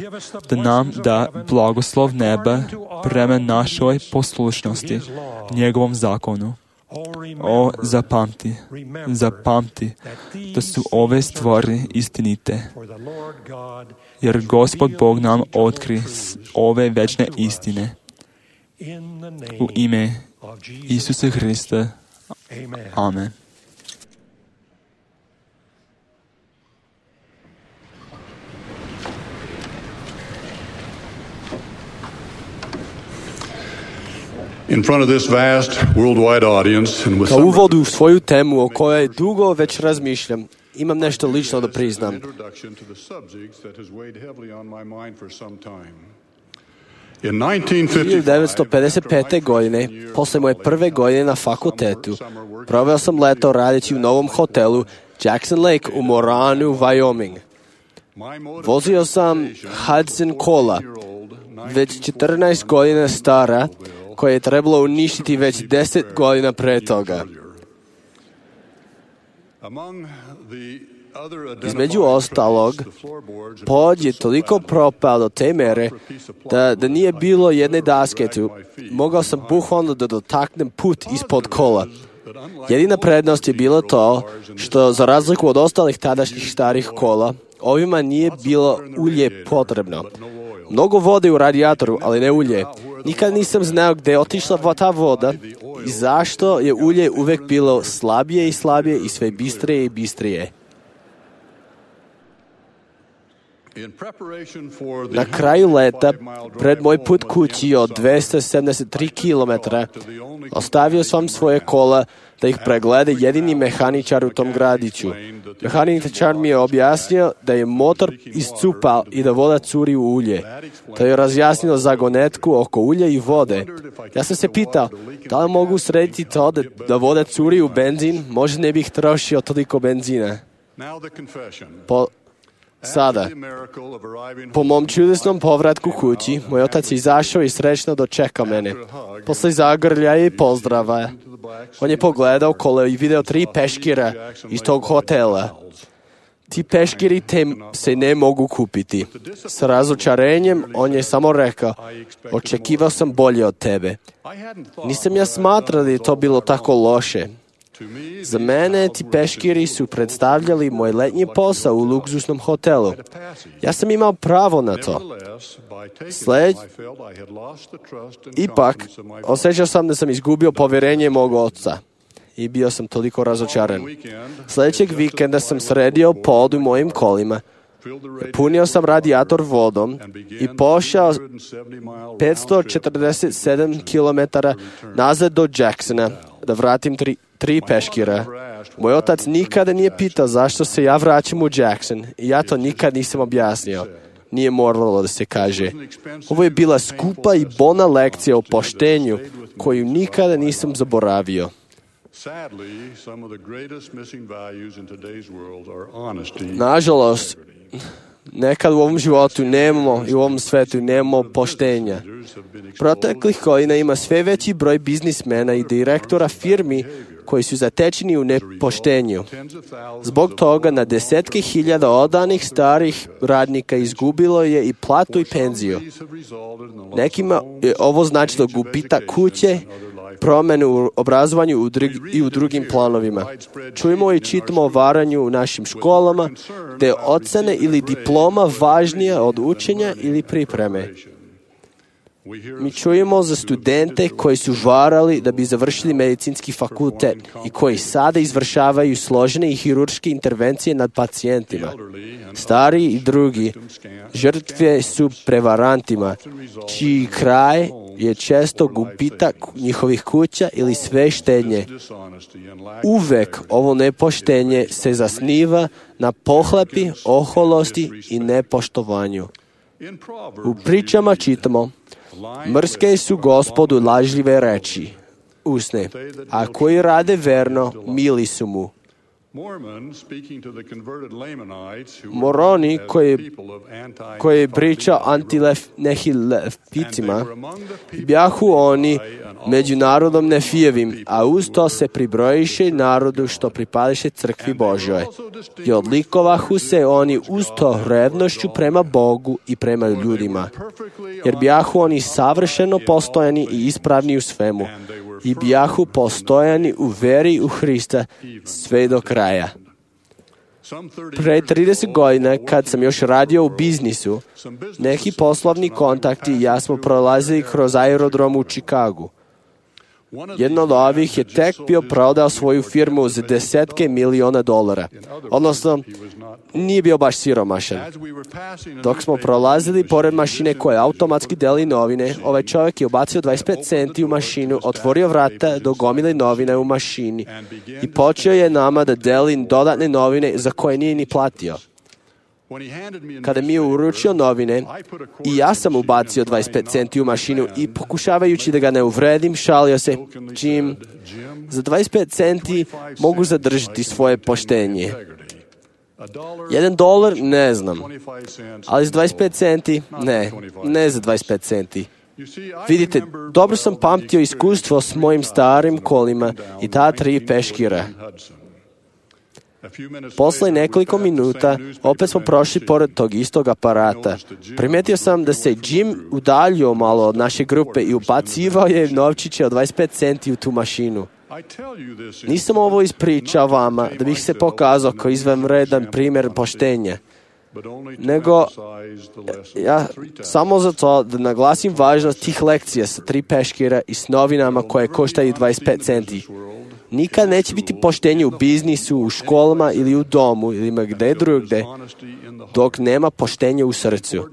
da nam da blagoslov neba prema našoj poslušnosti njegovom zakonu. O, zapamti da su ove stvari istinite, jer Gospod Bog nam otkri ove večne istine. U ime Isusa Hrista. Amen. In front of this vast worldwide audience and with Kao uvod u svoju temu o kojoj dugo već razmišljam, imam nešto lično da priznam. 1955. godine, posle moje prve godine na fakultetu, proveo sam leto radeći u novom hotelu Jackson Lake u Moranu, Wyoming. Vozio sam Hudson kola, već 14 godina stara, koje je trebalo uništiti već 10 godina pre toga. Između ostalog, pod je toliko propao do te mere da nije bilo jedne daske tu. Mogao sam bukvalno da dotaknem put ispod kola. Jedina prednost je bilo to što, za razliku od ostalih tadašnjih starih kola, ovima nije bilo ulje potrebno. Mnogo vode u radijatoru, ali ne ulje. Nikad nisam znao gde je otišla ta voda i zašto je ulje uvek bilo slabije i slabije i sve bistrije i bistrije. Na kraju leta, pred moj put kući od 273 km, ostavio sam svoje kola da ih preglede jedini mehaničar u tom gradiću. Mehaničar mi je objasnio da je motor iscupao i da voda curi u ulje. To je razjasnilo zagonetku oko ulja i vode. Ja sam se pitao, da li mogu srediti to da voda curi u benzin, možda ne bih trošio toliko benzina. Sada, po mom čudesnom povratku kući, moj otac je izašao i srećno dočekao mene. Posle zagrljaja i pozdrava, on je pogledao okolo i video 3 peškira iz tog hotela. Ti peškiri se ne mogu kupiti. S razočarenjem on je samo rekao, očekivao sam bolje od tebe. Nisam ja smatrao da je to bilo tako loše. Za mene ti peškiri su predstavljali moj letnji posao u luksuznom hotelu. Ja sam imao pravo na to. Ipak, osjećao sam da sam izgubio povjerenje mog oca i bio sam toliko razočaran. Sljedećeg vikenda sam sredio pod u mojim kolima. Punio sam radijator vodom i pošao 547 km nazad do Jacksona da vratim 3 peškira. Moj otac nikada nije pitao zašto se ja vraćam u Jackson i ja to nikad nisam objasnio. Nije moralo da se kaže. Ovo je bila skupa i bolna lekcija o poštenju koju nikada nisam zaboravio. Nažalost, nekad u ovom životu nemamo i u ovom svetu nemamo poštenja. Proteklih godina ima sve veći broj biznismena i direktora firmi koji su zatečeni u nepoštenju. Zbog toga na desetke hiljada odanih starih radnika izgubilo je i platu i penziju. Nekima je ovo značilo gubitak kuće, promjene u obrazovanju i u drugim planovima. Čujemo i čitamo o varanju u našim školama, da je ocene ili diploma važnija od učenja ili pripreme. Mi čujemo za studente koji su varali da bi završili medicinski fakultet i koji sada izvršavaju složene i hirurške intervencije nad pacijentima. Stari i drugi žrtve su prevarantima, čiji kraj je često gubitak njihovih kuća ili sve štednje. Uvek ovo nepoštenje se zasniva na pohlepi, oholosti i nepoštovanju. U pričama čitamo, mrske su Gospodu lažljive reči, usne, a koji rade verno, mili su mu. Moroni koji je pričao antinehileficima, bjahu oni među narodom Nefijevim, a uz to se pribrojiše narodu što pripadiše crkvi Božoj. I odlikovahu se oni uz to revnošću prema Bogu i prema ljudima, jer bjahu oni savršeno postojani i ispravni u svemu, i bjahu postojani u veri u Hrista sve do kraja. Pre 30 godina, kad sam još radio u biznisu, neki poslovni kontakti i ja smo prolazili kroz aerodrom u Čikagu. Jedno od ovih je tek bio prodao svoju firmu za desetke miliona dolara. Odnosno, nije bio baš siromašan. Dok smo prolazili pored mašine koja automatski deli novine, ovaj čovjek je ubacio 25 centi u mašinu, otvorio vrata do gomile novina u mašini i počeo je nama da deli dodatne novine za koje nije ni platio. Kada mi je uručio novine, i ja sam ubacio 25 centi u mašinu i pokušavajući da ga ne uvredim, šalio se, Jim, za 25 centi mogu zadržati svoje poštenje. $1, ne znam, ali za 25 centi, ne za 25 centi. Vidite, dobro sam pamtio iskustvo s mojim starim kolima i ta 3 peškira. Posle nekoliko minuta opet smo prošli pored tog istog aparata. Primetio sam da se Jim udaljio malo od naše grupe i ubacivao je novčiće od 25 centi u tu mašinu. Nisam ovo ispričao vama da bih se pokazao kao izvanredan primjer poštenja, nego samo zato da naglasim važnost tih lekcija sa 3 peškira i s novinama koje koštaju 25 centi. Nikad neće biti poštenje u biznisu, u školama ili u domu ili ma gde drugde, dok nema poštenja u srcu.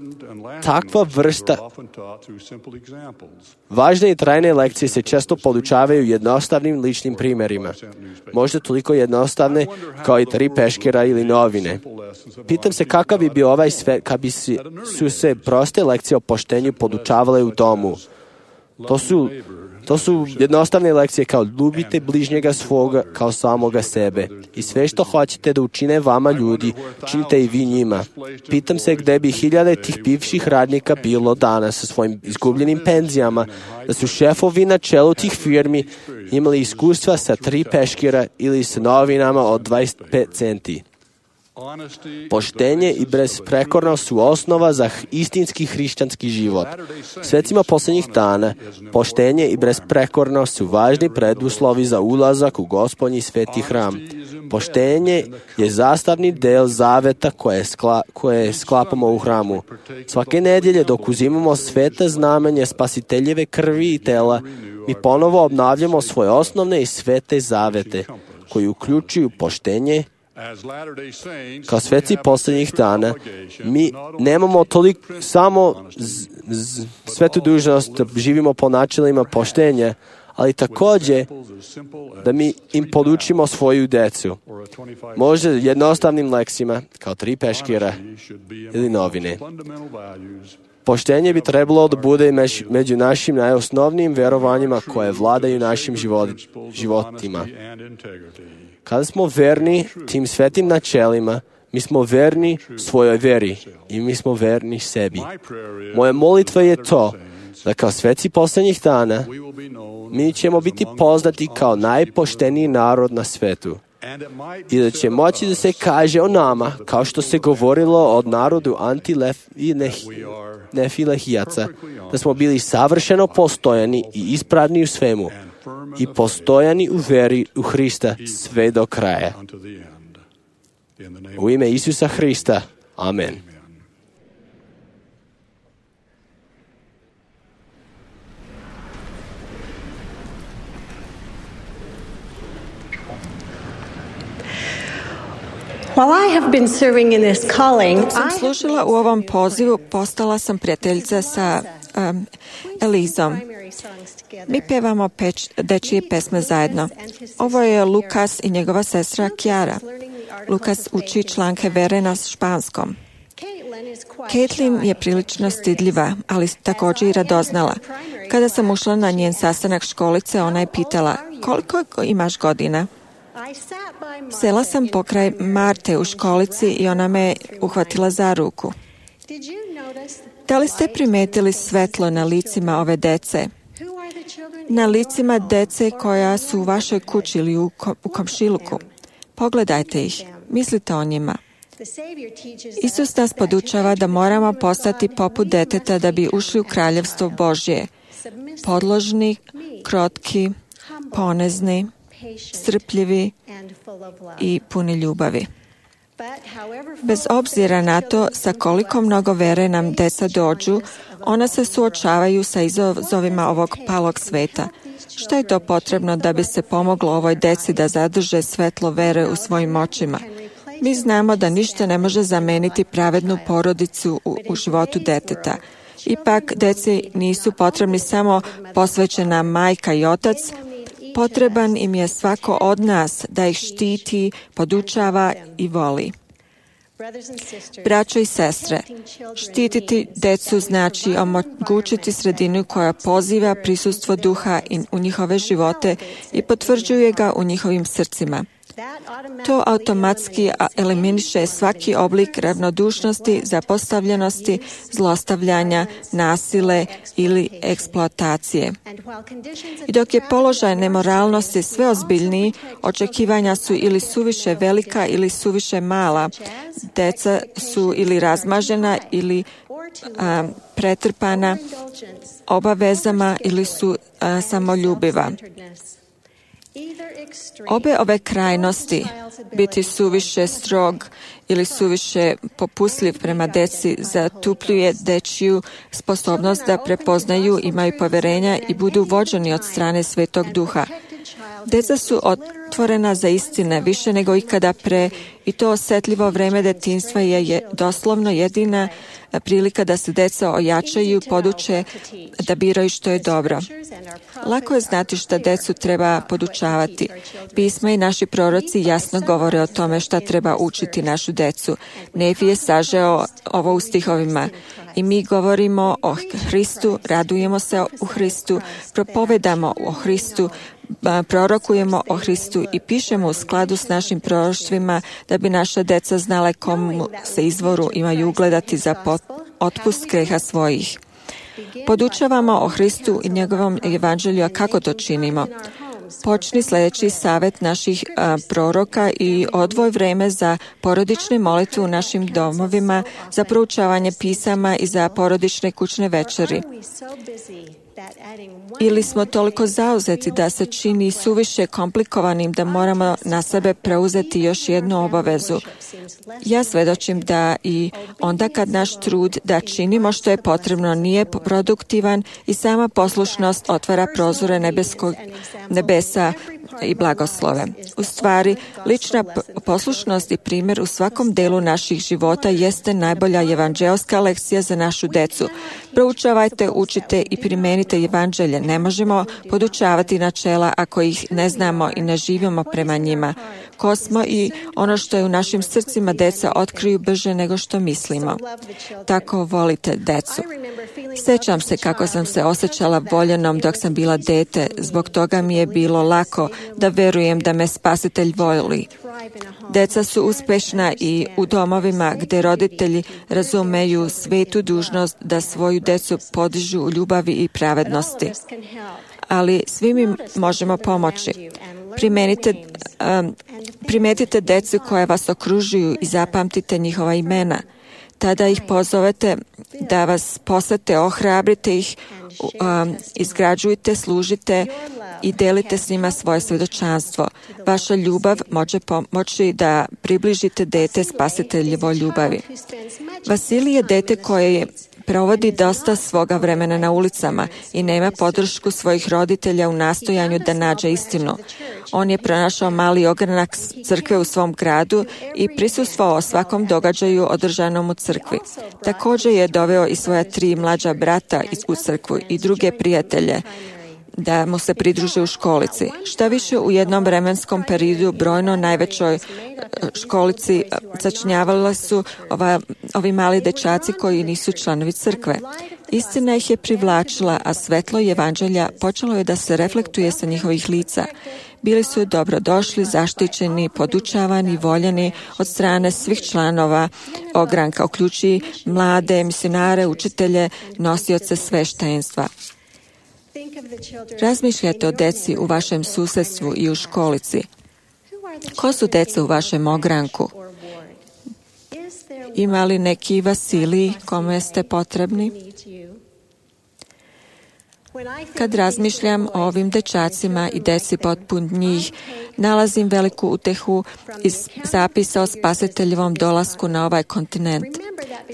Takva vrsta važne i trajne lekcije se često podučavaju jednostavnim ličnim primjerima. Možda toliko jednostavne kao i 3 peškira ili novine. Pitam se kakav bi bio ovaj svet kad bi su se proste lekcije o poštenju podučavale u domu. To su jednostavne lekcije kao ljubite bližnjega svoga kao samoga sebe. I sve što hoćete da učine vama ljudi, činite i vi njima. Pitam se gde bi hiljade tih bivših radnika bilo danas sa svojim izgubljenim penzijama, da su šefovi na čelu tih firmi imali iskustva sa 3 peškira ili sa novinama od 25 centi. Poštenje i besprekornost su osnova za istinski hrišćanski život. Svecima posljednjih dana, poštenje i besprekornost su važni preduslovi za ulazak u Gospodnji sveti hram. Poštenje je sastavni del zaveta koje sklapamo u hramu. Svake nedjelje dok uzimamo sveta znamenja spasiteljeve krvi i tela, mi ponovo obnavljamo svoje osnovne i svete zavete, koji uključuju poštenje. Kao sveci posljednjih dana, mi nemamo toliko samo svetu dužnost da živimo po načelima poštenja, ali također da mi im podučimo svoju decu. Možda jednostavnim leksima, kao 3 peškira ili novine. Poštenje bi trebalo da bude među našim najosnovnijim verovanjima koje vladaju našim životima. Kada smo verni tim svetim načelima, mi smo verni svojoj veri i mi smo verni sebi. Moja molitva je to da kao sveci posljednjih dana mi ćemo biti poznati kao najpošteniji narod na svetu. I da će moći da se kaže o nama, kao što se govorilo od narodu Nefilehijaca, da smo bili savršeno postojani i ispravni u svemu i postojani u veri u Hrista sve do kraja. U ime Isusa Hrista. Amen. Dok sam služila u ovom pozivu, postala sam prijateljica sa Elizom. Mi pevamo dečije pesme zajedno. Ovo je Lukas i njegova sestra Kiara. Lukas uči članke vere na španskom. Caitlin je prilično stidljiva, ali također i radoznala. Kada sam ušla na njen sastanak školice, ona je pitala, koliko imaš godina? Sela sam pokraj Marte u školici i ona me uhvatila za ruku. Da li ste primetili svetlo na licima ove dece? Na licima dece koja su u vašoj kući ili u komšiluku. Pogledajte ih, mislite o njima. Isus nas podučava da moramo postati poput deteta da bi ušli u kraljevstvo Božje. Podložni, krotki, ponezni, strpljivi i puni ljubavi. Bez obzira na to sa koliko mnogo vere nam deca dođu, ona se suočavaju sa izazovima ovog palog sveta. Što je to potrebno da bi se pomoglo ovoj deci da zadrže svetlo vere u svojim očima? Mi znamo da ništa ne može zameniti pravednu porodicu u životu deteta. Ipak, deci nisu potrebni samo posvećena majka i otac, potreban im je svako od nas da ih štiti, podučava i voli. Braćo i sestre, štititi decu znači omogućiti sredinu koja poziva prisustvo duha u njihove živote i potvrđuje ga u njihovim srcima. To automatski eliminiše svaki oblik ravnodušnosti, zapostavljenosti, zlostavljanja, nasile ili eksploatacije. I dok je položaj nemoralnosti sve ozbiljniji, očekivanja su ili suviše velika ili suviše mala. Deca su ili razmažena ili pretrpana obavezama ili su samoljubiva. Obe ove krajnosti, biti suviše strog ili suviše popustljiv prema deci, zatupljuje dečiju sposobnost da prepoznaju, imaju povjerenja i budu vođeni od strane Svetog Duha. Deca su otvorena za istine više nego ikada pre i to osjetljivo vreme detinjstva je doslovno jedina prilika da se deca ojačaju i poduče da biraju što je dobro. Lako je znati šta decu treba podučavati. Pisma i naši proroci jasno govore o tome šta treba učiti našu decu. Nefi je sažeo ovo u stihovima. I mi govorimo o Hristu, radujemo se u Hristu, propovedamo o Hristu, prorokujemo o Hristu i pišemo u skladu s našim proroštvima da bi naša deca znala komu se izvoru imaju ugledati za otpust greha svojih. Podučavamo o Hristu i njegovom evanđelju, a kako to činimo? Počni sljedeći savjet naših proroka i odvoj vreme za porodične molitve u našim domovima, za proučavanje pisama i za porodične kućne večeri. Ili smo toliko zauzeti da se čini suviše komplikovanim da moramo na sebe preuzeti još jednu obavezu. Ja svedočim da i onda kad naš trud da činimo što je potrebno nije produktivan i sama poslušnost otvara prozore nebesa i blagoslove. U stvari, lična poslušnost i primjer u svakom delu naših života jeste najbolja evanđelska lekcija za našu decu. Proučavajte, učite i primenite evanđelje. Ne možemo podučavati načela ako ih ne znamo i ne živimo prema njima. Ko smo i ono što je u našim srcima deca otkriju brže nego što mislimo. Tako volite decu. Sjećam se kako sam se osjećala voljenom dok sam bila dete. Zbog toga mi je bilo lako da verujem da me Spasitelj voli. Deca su uspješna i u domovima gdje roditelji razumeju svetu dužnost da svoju decu podižu u ljubavi i pravednosti. Ali svi mi možemo pomoći. Primetite decu koje vas okružuju i zapamtite njihova imena. Tada ih pozovete da vas posete, ohrabrite ih, izgrađujte, služite i delite s njima svoje svjedočanstvo. Vaša ljubav može pomoći da približite dete Spasiteljevoj ljubavi. Vasilij je dete koje provodi dosta svoga vremena na ulicama i nema podršku svojih roditelja u nastojanju da nađe istinu. On je pronašao mali ogranak crkve u svom gradu i prisustvovao svakom događaju održanom u crkvi. Također je doveo i svoja 3 mlađa brata u crkvu i druge prijatelje da mu se pridruže u školici. Šta više, u jednom vremenskom periodu brojno najvećoj školici sačinjavali su ovi mali dečaci koji nisu članovi crkve. Istina ih je privlačila, a svetlo evanđelja počelo je da se reflektuje sa njihovih lica. Bili su dobrodošli, zaštićeni, podučavani, voljeni od strane svih članova ogranka, uključujući mlade, misionare, učitelje, nosioce sveštenstva. Razmišljajte o deci u vašem susjedstvu i u školici. Ko su deca u vašem ogranku? Ima li neki Vasilij kome ste potrebni? Kad razmišljam o ovim dečacima i deci poput njih, nalazim veliku utehu iz zapisa o Spasiteljevom dolasku na ovaj kontinent.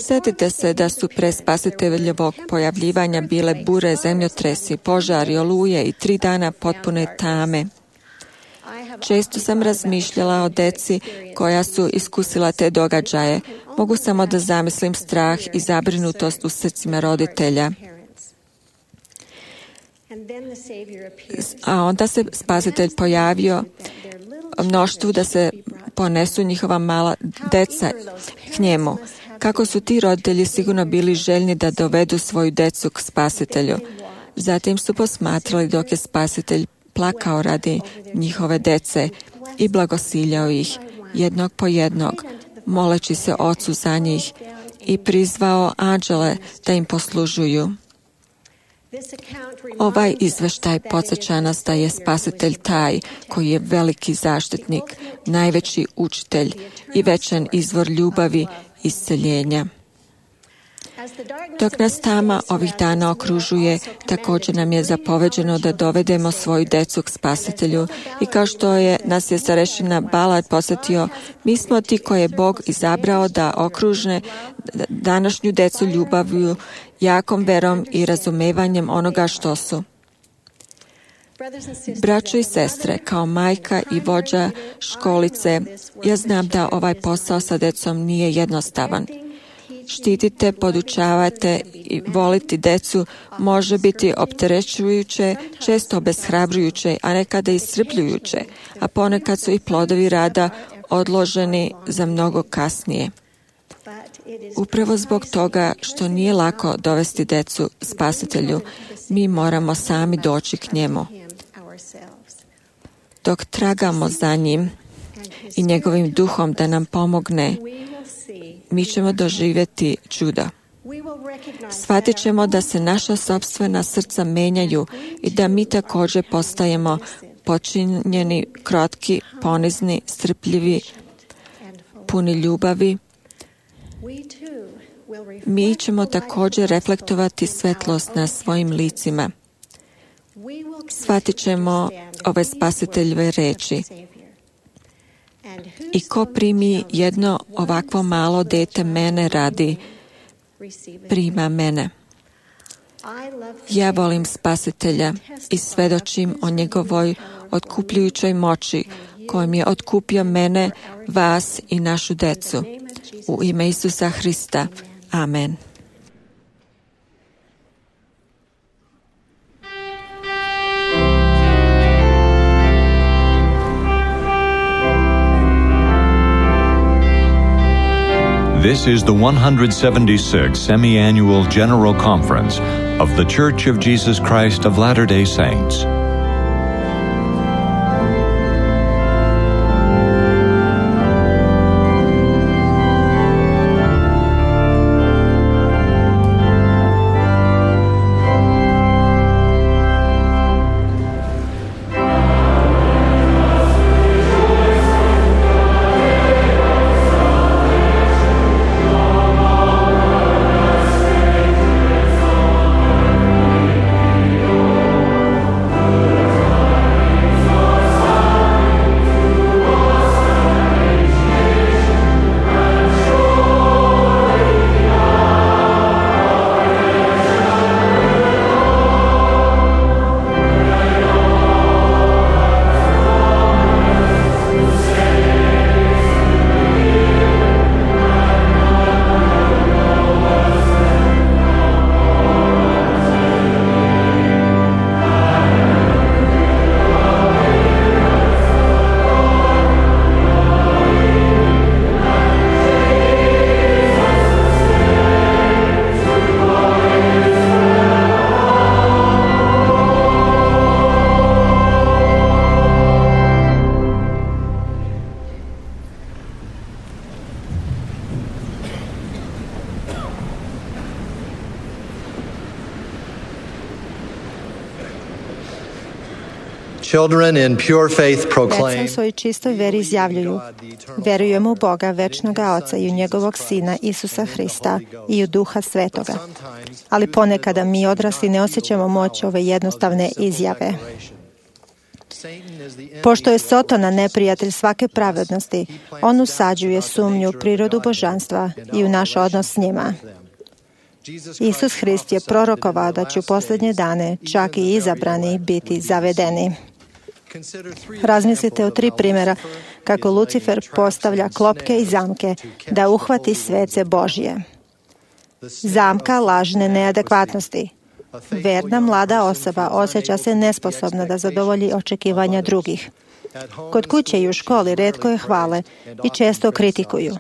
Sjetite se da su pre Spasiteljevog pojavljivanja bile bure, zemljotresi, požari, oluje i 3 dana potpune tame. Često sam razmišljala o deci koja su iskusila te događaje. Mogu samo da zamislim strah i zabrinutost u srcima roditelja. A onda se Spasitelj pojavio mnoštvu da se ponesu njihova mala deca k njemu. Kako su ti roditelji sigurno bili željni da dovedu svoju decu k Spasitelju. Zatim su posmatrali dok je Spasitelj plakao radi njihove dece i blagosiljao ih jednog po jednog, moleći se Ocu za njih i prizvao anđele da im poslužuju. Ovaj izveštaj podsjeća nas da je Spasitelj taj koji je veliki zaštitnik, najveći učitelj i večan izvor ljubavi i isceljenja. Dok nas tama ovih dana okružuje, također nam je zapoveđeno da dovedemo svoju decu k Spasitelju i kao što je nas je starešina Balad podsjetio, mi smo ti koje je Bog izabrao da okružne današnju decu ljubavlju, jakom verom i razumevanjem onoga što su. Braćo i sestre, kao majka i vođa školice, ja znam da ovaj posao sa decom nije jednostavan. Štitite, podučavate i voliti decu može biti opterećujuće, često obeshrabrujuće, a nekada iscrpljujuće, a ponekad su i plodovi rada odloženi za mnogo kasnije. Upravo zbog toga što nije lako dovesti decu Spasitelju, mi moramo sami doći k njemu. Dok tragamo za njim i njegovim duhom da nam pomogne, mi ćemo doživjeti čuda. Shvatit ćemo da se naša sopstvena srca menjaju i da mi također postajemo počinjeni, krotki, ponizni, strpljivi, puni ljubavi. Mi ćemo također reflektovati svetlost na svojim licima. Shvatit ćemo ove Spasiteljeve reči. I ko primi jedno ovakvo malo dete mene radi, prima mene. Ja volim Spasitelja i svedočim o njegovoj otkupljujućoj moći kojom je otkupio mene, vas i našu decu. U ime Isusa Hrista. Amen. This is the 176th Semi-Annual General Conference of The Church of Jesus Christ of Latter-day Saints. Deca u svojoj čistoj veri izjavljuju: verujemo u Boga, večnoga Oca i u njegovog Sina Isusa Hrista i u Duha Svetoga. Ali ponekada mi odrasli ne osjećamo moć ove jednostavne izjave. Pošto je Sotona neprijatelj svake pravednosti, on usađuje sumnju u prirodu božanstva i u naš odnos s njima. Isus Hrist je prorokovao da će u posljednje dane čak i izabrani biti zavedeni. Razmislite o 3 primjera kako Lucifer postavlja klopke i zamke da uhvati svece Božje. Zamka lažne neadekvatnosti. Verna mlada osoba osjeća se nesposobna da zadovolji očekivanja drugih. Kod kuće i u školi retko je hvale i često kritikuju.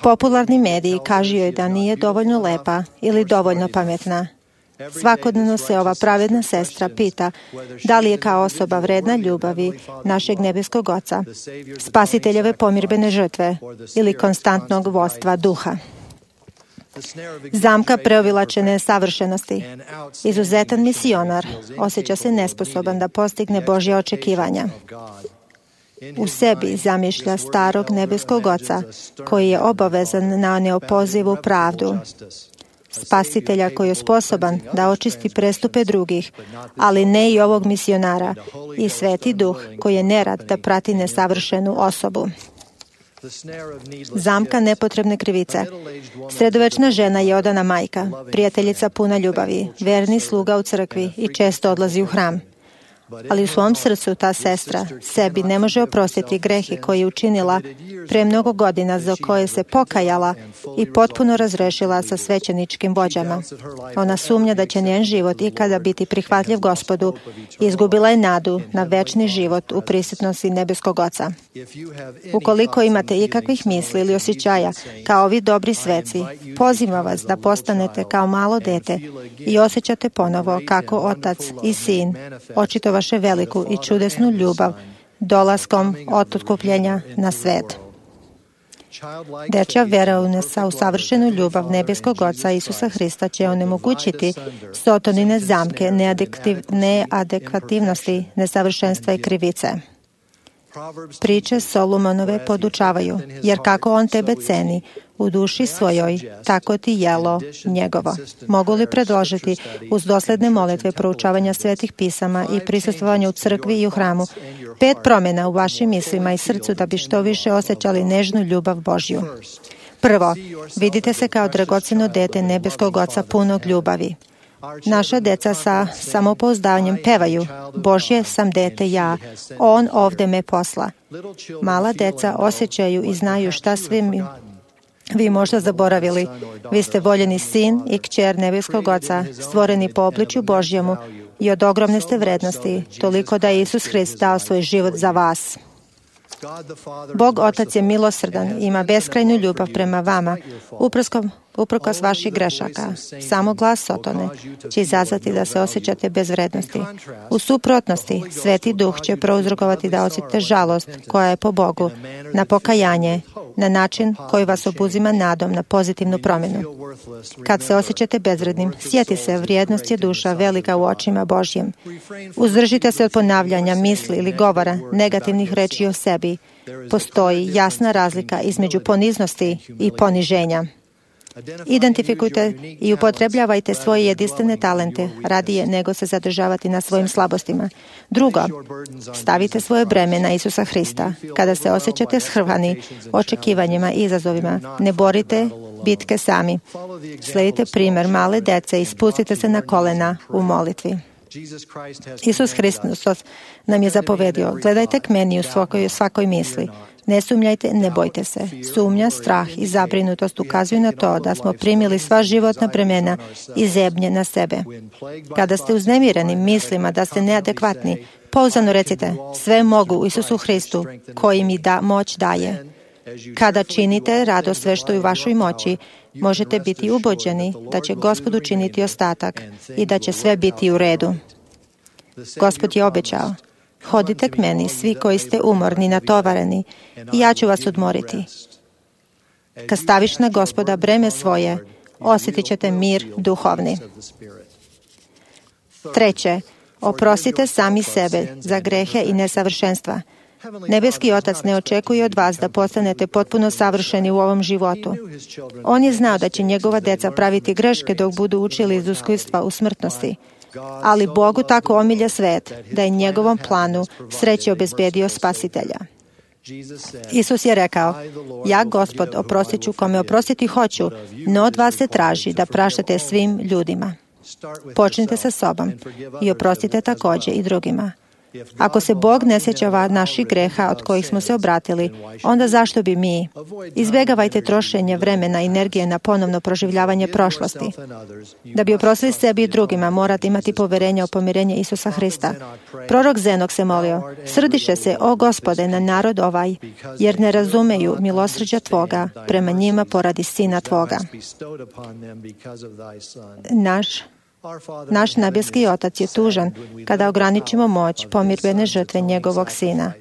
Popularni mediji kažu joj da nije dovoljno lepa ili dovoljno pametna. Svakodnevno se ova pravedna sestra pita da li je kao osoba vredna ljubavi našeg nebeskog Oca, Spasiteljeve pomirbene žrtve ili konstantnog vodstva duha. Zamka preobilačene savršenosti. Izuzetan misionar osjeća se nesposoban da postigne Božja očekivanja. U sebi zamišlja starog nebeskog Oca koji je obavezan na neopozivu pravdu. Spasitelja koji je sposoban da očisti prestupe drugih, ali ne i ovog misionara, i Sveti Duh koji je nerad da prati nesavršenu osobu. Zamka nepotrebne krivice. Sredovečna žena je odana majka, prijateljica puna ljubavi, verni sluga u crkvi i često odlazi u hram. Ali u svom srcu ta sestra sebi ne može oprostiti grehe koje je učinila pre mnogo godina, za koje se pokajala i potpuno razrešila sa svećeničkim vođama. Ona sumnja da će njen život ikada biti prihvatljiv Gospodu i izgubila je nadu na večni život u prisutnosti nebeskog Oca. Ukoliko imate ikakvih misli ili osjećaja kao ovi dobri sveci, pozivam vas da postanete kao malo dete i osjećate ponovo kako Otac i Sin očitovaše veliku i čudesnu ljubav dolaskom otkupljenja na svet. Dečja vera u savršenu ljubav nebeskog Oca Isusa Hrista će onemogućiti Sotonine zamke neadekvativnosti, nesavršenstva i krivice. Priče Solomonove podučavaju, jer kako on tebe ceni u duši svojoj, tako ti jelo njegovo. Mogu li predložiti uz dosledne molitve, proučavanja svetih pisama i prisustvovanja u crkvi i u hramu 5 promjena u vašim mislima i srcu da bi što više osjećali nežnu ljubav Božju? Prvo, vidite se kao dragocjeno dete nebeskog Oca punog ljubavi. Naša deca sa samopouzdanjem pevaju: Božje sam dete ja, on ovde me posla. Mala deca osjećaju i znaju šta sve vi možda zaboravili. Vi ste voljeni sin i kćer nebeskog Oca, stvoreni po obličju Božjemu i od ogromne ste vrednosti, toliko da je Isus Hrist dao svoj život za vas. Bog Otac je milosrdan i ima beskrajnu ljubav prema vama, uprkos vaših grešaka. Samo glas Sotone će izazvati da se osjećate bez vrednosti. U suprotnosti, Sveti Duh će prouzrokovati da osjetite žalost koja je po Bogu, na pokajanje, na način koji vas obuzima nadom na pozitivnu promjenu. Kad se osjećate bezvrednim, sjeti se, vrijednost je duša velika u očima Božjim. Uzdržite se od ponavljanja misli ili govora, negativnih reči o sebi. Postoji jasna razlika između poniznosti i poniženja. Identifikujte i upotrebljavajte svoje jedinstvene talente radije nego se zadržavati na svojim slabostima. Drugo, stavite svoje breme na Isusa Hrista. Kada se osjećate shrvani očekivanjima i izazovima, ne borite bitke sami. Sledite primjer male dece i spustite se na kolena u molitvi. Isus Hristos nam je zapovedio: gledajte k meni u svakoj misli. Ne sumnjajte, ne bojte se. Sumnja, strah i zabrinutost ukazuju na to da smo primili sva životna bremena i zebnje na sebe. Kada ste uznemireni mislima da ste neadekvatni, pouzdano recite: sve mogu u Isusu Hristu koji mi moć daje. Kada činite rado sve što je u vašoj moći, možete biti ubeđeni da će Gospod učiniti ostatak i da će sve biti u redu. Gospod je obećao: hodite k meni, svi koji ste umorni, natovareni, i ja ću vas odmoriti. Kad staviš na Gospoda breme svoje, osjetit ćete mir duhovni. Treće, oprostite sami sebe za grehe i nesavršenstva. Nebeski Otac ne očekuje od vas da postanete potpuno savršeni u ovom životu. On je znao da će njegova deca praviti greške dok budu učili iz iskustva u smrtnosti. Ali Bogu tako omilja svet da je njegovom planu sreće obezbedio Spasitelja. Isus je rekao: ja, Gospod, oprostit ću kome oprostiti hoću, no od vas se traži da praštate svim ljudima. Počnite sa sobom i oprostite također i drugima. Ako se Bog ne sjeća naših greha od kojih smo se obratili, onda zašto bi mi? Izbjegavajte trošenje vremena i energije na ponovno proživljavanje prošlosti. Da bi oprostili sebi i drugima, morate imati poverenje u pomirenje Isusa Hrista. Prorok Zenok se molio: srdiše se, o Gospode, na narod ovaj, jer ne razumeju milosrđa Tvoga prema njima poradi Sina Tvoga. Naš nebeski Otac je tužan kada ograničimo moć pomirbene žrtve njegovog Sina.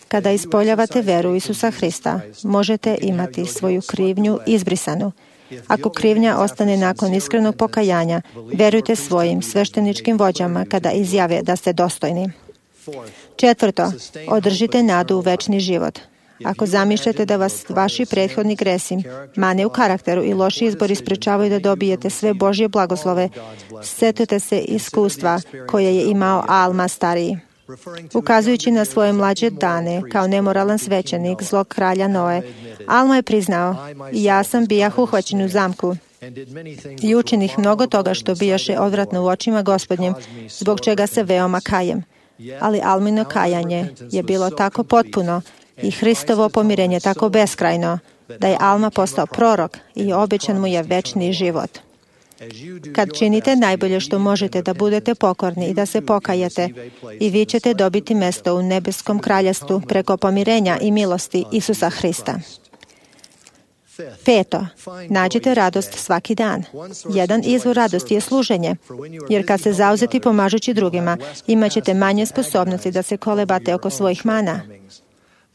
Kada ispoljavate veru Isusa Hrista, možete imati svoju krivnju izbrisanu. Ako krivnja ostane nakon iskrenog pokajanja, verujte svojim svešteničkim vođama kada izjave da ste dostojni. Četvrto, održite nadu u večni život. Ako zamišljate da vas vaši prethodni gresi, mane u karakteru i loši izbori sprečavaju da dobijete sve Božje blagoslove, setite se iskustva koje je imao Alma stariji. Ukazujući na svoje mlađe dane kao nemoralan svećenik zlog kralja Noe, Alma je priznao: ja sam bijah uhvaćen u zamku i učinih mnogo toga što bijaše odvratno u očima Gospodnjem, zbog čega se veoma kajem. ali Almino kajanje je bilo tako potpuno i Hristovo pomirenje tako beskrajno, da je Alma postao prorok i obećan mu je večni život. Kad činite najbolje što možete da budete pokorni i da se pokajete, i vi ćete dobiti mesto u nebeskom kraljevstvu preko pomirenja i milosti Isusa Hrista. 5. Nađite radost svaki dan. Jedan izvor radosti je služenje, jer kad se zauzeti pomažući drugima, imat ćete manje sposobnosti da se kolebate oko svojih mana.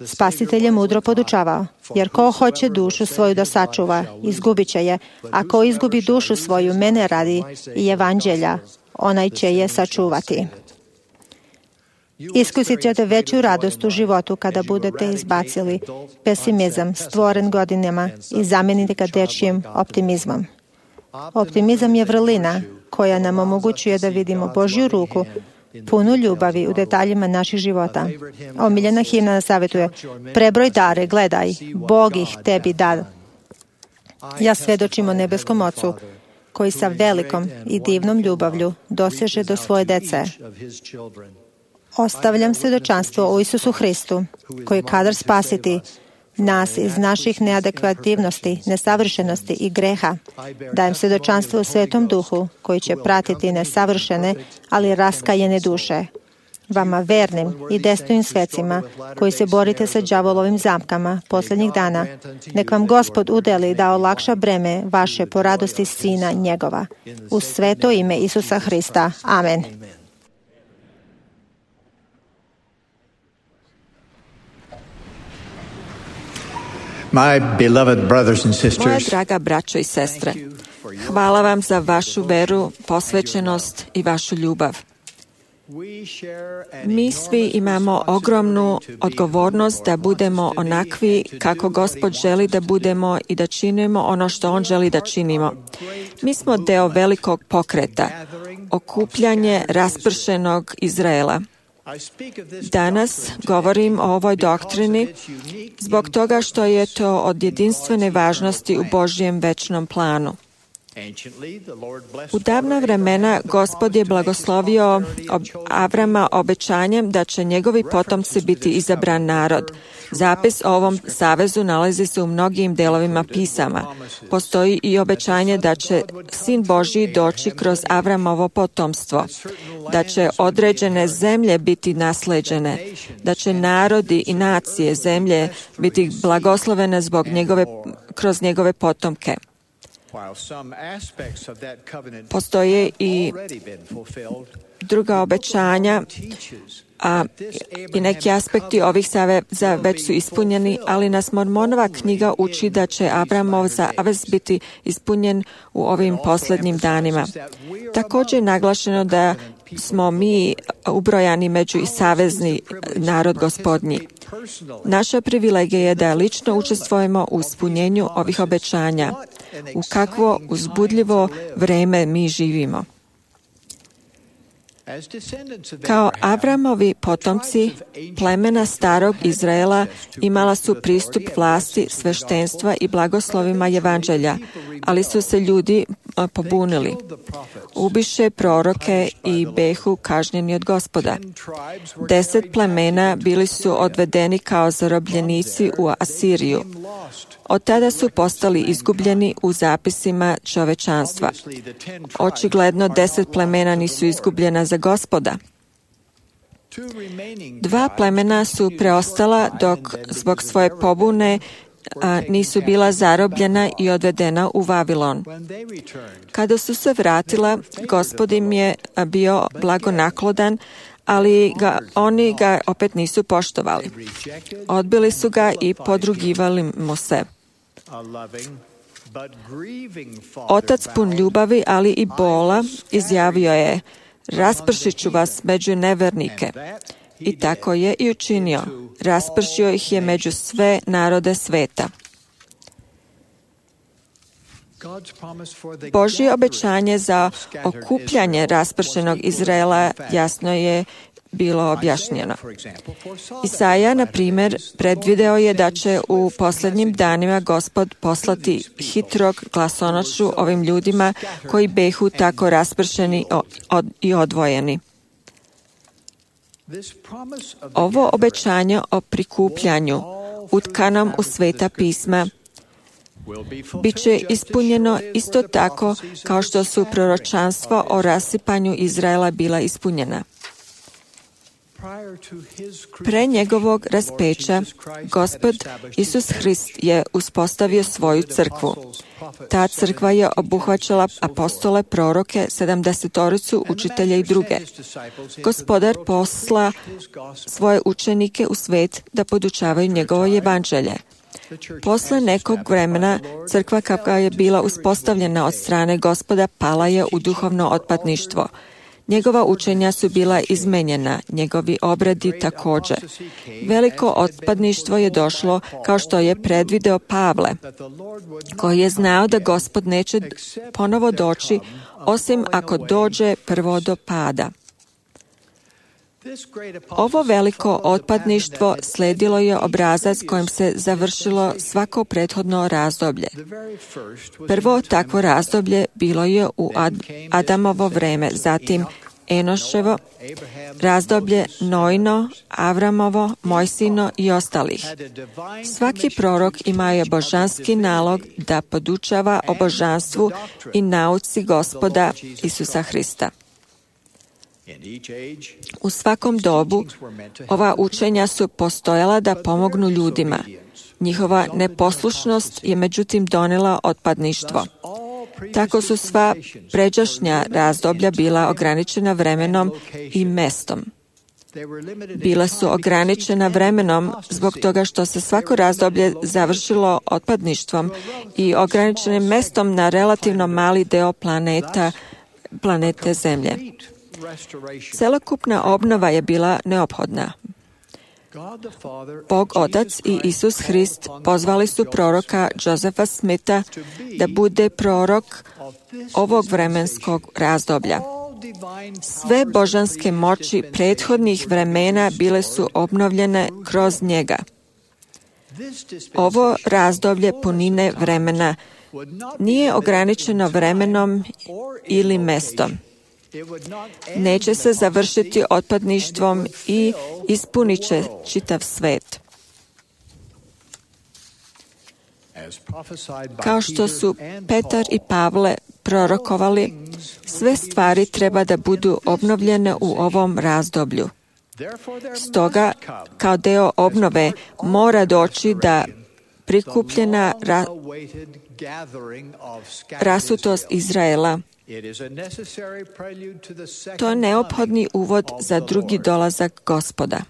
Spasitelj je mudro podučavao, jer ko hoće dušu svoju da sačuva, izgubit će je, a ko izgubi dušu svoju mene radi i evanđelja, onaj će je sačuvati. Iskusit ćete veću radost u životu kada budete izbacili pesimizam stvoren godinama i zamenite ga dečijim optimizmom. Optimizam je vrlina koja nam omogućuje da vidimo Božju ruku punu ljubavi u detaljima naših života. Omiljena himna nas savjetuje: prebroj dare, gledaj, Bog ih tebi da. Ja svedočim o nebeskom Ocu, koji sa velikom i divnom ljubavlju doseže do svoje dece. Ostavljam svedočanstvo o Isusu Hristu, koji je kadar spasiti nas iz naših neadekvativnosti, nesavršenosti i greha. Dajem svedočanstvo u Svetom Duhu, koji će pratiti nesavršene, ali raskajene duše. Vama vernim i destojnim svecima, koji se borite sa đavolovim zamkama posljednjih dana, nek vam Gospod udeli da olakša breme vaše po radosti Sina njegova. U sveto ime Isusa Hrista. Amen. My beloved brothers and Moja sisters, draga braćo i sestre, hvala vam za vašu veru, posvećenost i vašu ljubav. Mi svi imamo ogromnu odgovornost da budemo onakvi kako Gospod želi da budemo i da činimo ono što On želi da činimo. Mi smo deo velikog pokreta, okupljanje raspršenog Izraela. Danas govorim o ovoj doktrini zbog toga što je to od jedinstvene važnosti u Božjem večnom planu. U davna vremena Gospod je blagoslovio Avrama obećanjem da će njegovi potomci biti izabran narod. Zapis o ovom savezu nalazi se u mnogim delovima pisama. Postoji i obećanje da će Sin Božji doći kroz Avramovo potomstvo, da će određene zemlje biti nasleđene, da će narodi i nacije zemlje biti blagoslovene kroz njegove potomke. Postoje i druga obećanja, i neki aspekti ovih saveza već su ispunjeni, ali nas Mormonova knjiga uči da će Avramov zavez biti ispunjen u ovim posljednjim danima. Također je naglašeno da smo mi ubrojani među i savezni narod Gospodnji. Naša privilegija je da lično učestvujemo u ispunjenju ovih obećanja. U kakvo uzbudljivo vreme mi živimo. Kao Avramovi potomci, plemena starog Izraela imala su pristup vlasti, sveštenstva i blagoslovima evanđelja, ali su se ljudi pobunili. Ubiše proroke i behu kažnjeni od Gospoda. 10 plemena bili su odvedeni kao zarobljenici u Asiriju. Od tada su postali izgubljeni u zapisima čovečanstva. Očigledno 10 plemena nisu izgubljena za Gospoda. 2 plemena su preostala dok zbog svoje pobune nisu bila zarobljena i odvedena u Vavilon. Kada su se vratila, Gospod im je bio blagonaklodan, ali oni ga opet nisu poštovali. Odbili su ga i podrugivali mu se. Otac pun ljubavi, ali i bola, izjavio je: raspršit ću vas među nevernike. I tako je i učinio. Raspršio ih je među sve narode sveta. Božje obećanje za okupljanje raspršenog Izraela jasno je bilo objašnjeno. Isaja, na primjer, predvideo je da će u posljednjim danima Gospod poslati hitrog glasonošu ovim ljudima koji behu tako raspršeni i odvojeni. Ovo obećanje o prikupljanju, utkanom u Sveta pisma, bit će ispunjeno isto tako kao što su proročanstva o rasipanju Izraela bila ispunjena. Pre njegovog raspeća, Gospod Isus Hrist je uspostavio svoju crkvu. Ta crkva je obuhvaćala apostole, proroke, 70 učitelja i druge. Gospodar posla svoje učenike u svet da podučavaju njegovo evanđelje. Posle nekog vremena, crkva kakva je bila uspostavljena od strane Gospoda pala je u duhovno otpadništvo. Njegova učenja su bila izmenjena, njegovi obradi također. Veliko otpadništvo je došlo kao što je predvideo Pavle, koji je znao da Gospod neće ponovo doći, osim ako dođe prvo do pada. Ovo veliko otpadništvo sledilo je obrazac kojim se završilo svako prethodno razdoblje. Prvo takvo razdoblje bilo je u Adamovo vreme, zatim Enoševo, razdoblje Noino, Avramovo, Mojsino i ostalih. Svaki prorok imao je božanski nalog da podučava o božanstvu i nauci Gospoda Isusa Hrista. U svakom dobu ova učenja su postojala da pomognu ljudima. Njihova neposlušnost je međutim donela otpadništvo. Tako su sva pređašnja razdoblja bila ograničena vremenom i mestom. Bila su ograničena vremenom zbog toga što se svako razdoblje završilo otpadništvom i ograničenim mestom na relativno mali deo planete Zemlje. Celokupna obnova je bila neophodna. Bog Otac i Isus Hrist pozvali su proroka Josefa Smitha da bude prorok ovog vremenskog razdoblja. Sve božanske moći prethodnih vremena bile su obnovljene kroz njega. Ovo razdoblje punine vremena nije ograničeno vremenom ili mestom. Neće se završiti otpadništvom i ispunit će čitav svet. Kao što su Petar i Pavle prorokovali, sve stvari treba da budu obnovljene u ovom razdoblju. Stoga, kao deo obnove, mora doći da prikupljena rasutost Izraela. To je neophodni uvod za drugi dolazak Gospoda.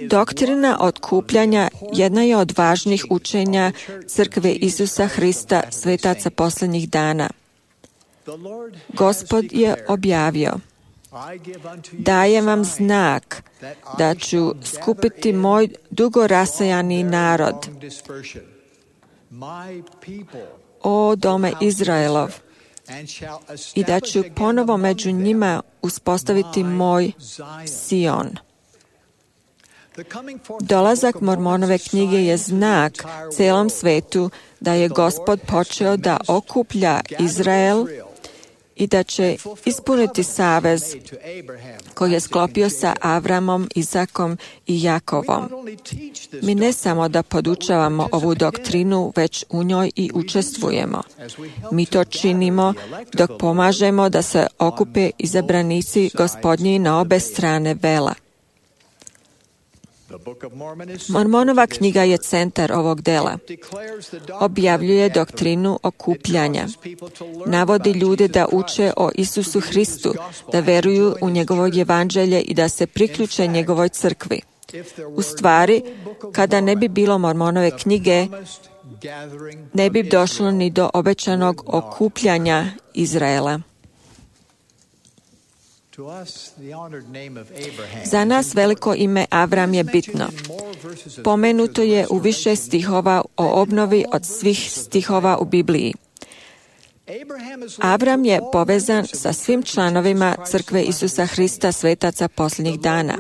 Doktrina otkupljanja jedna je od važnih učenja crkve Isusa Hrista, svetaca posljednjih dana. Gospod je objavio: dajem vam znak da ću skupiti moj dugo rasejani narod, o dome Izraelov, i da ću ponovo među njima uspostaviti moj Sion. Dolazak Mormonove knjige je znak celom svetu da je Gospod počeo da okuplja Izrael i da će ispuniti savez koji je sklopio sa Avramom, Izakom i Jakovom. Mi ne samo da podučavamo ovu doktrinu, već u njoj i učestvujemo. Mi to činimo dok pomažemo da se okupe izabranici Gospodnji na obe strane vela. Mormonova knjiga je centar ovog dela. Objavljuje doktrinu okupljanja. Navodi ljude da uče o Isusu Hristu, da veruju u njegovo evanđelje i da se priključe njegovoj crkvi. U stvari, kada ne bi bilo Mormonove knjige, ne bi došlo ni do obećanog okupljanja Izraela. Za nas veliko ime Avram je bitno. Pomenuto je u više stihova o obnovi od svih stihova u Bibliji. Avram je povezan sa svim članovima crkve Isusa Hrista, svetaca posljednjih dana.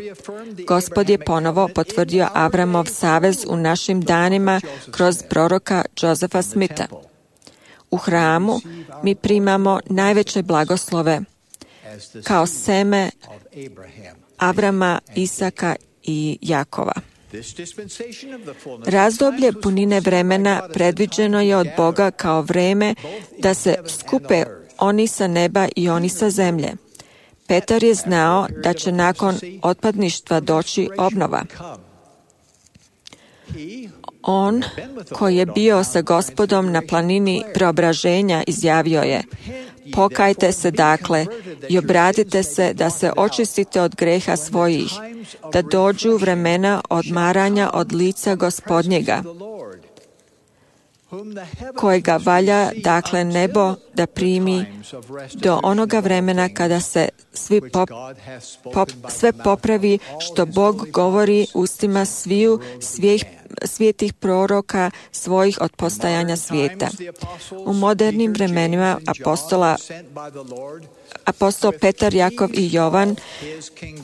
Gospod je ponovo potvrdio Avramov savez u našim danima kroz proroka Josefa Smitha. U hramu mi primamo najveće blagoslove. kao seme Avrama, Isaka i Jakova. Razdoblje punine vremena predviđeno je od Boga kao vreme da se skupe oni sa neba i oni sa zemlje. Petar je znao da će nakon otpadništva doći obnova. On, koji je bio sa Gospodom na planini preobraženja, izjavio je: pokajte se dakle i obratite se da se očistite od greha svojih, da dođu vremena odmaranja od lica Gospodnjega, kojega valja dakle nebo da primi do onoga vremena kada se sve popravi što Bog govori ustima sviju svijetih proroka svojih od postajanja svijeta. U modernim vremenima apostol Petar, Jakov i Jovan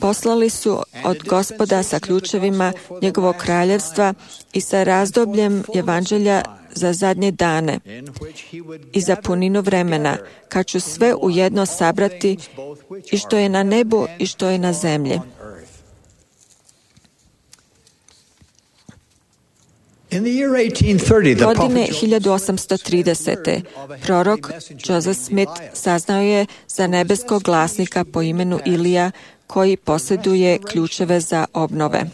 poslali su od Gospoda sa ključevima njegovog kraljevstva i sa razdobljem evanđelja za zadnje dane i za puninu vremena, kad ću sve ujedno sabrati i što je na nebu i što je na zemlji. Godine 1830. prorok Joseph Smith saznao je za nebeskog glasnika po imenu Ilija, koji posjeduje ključeve za obnove.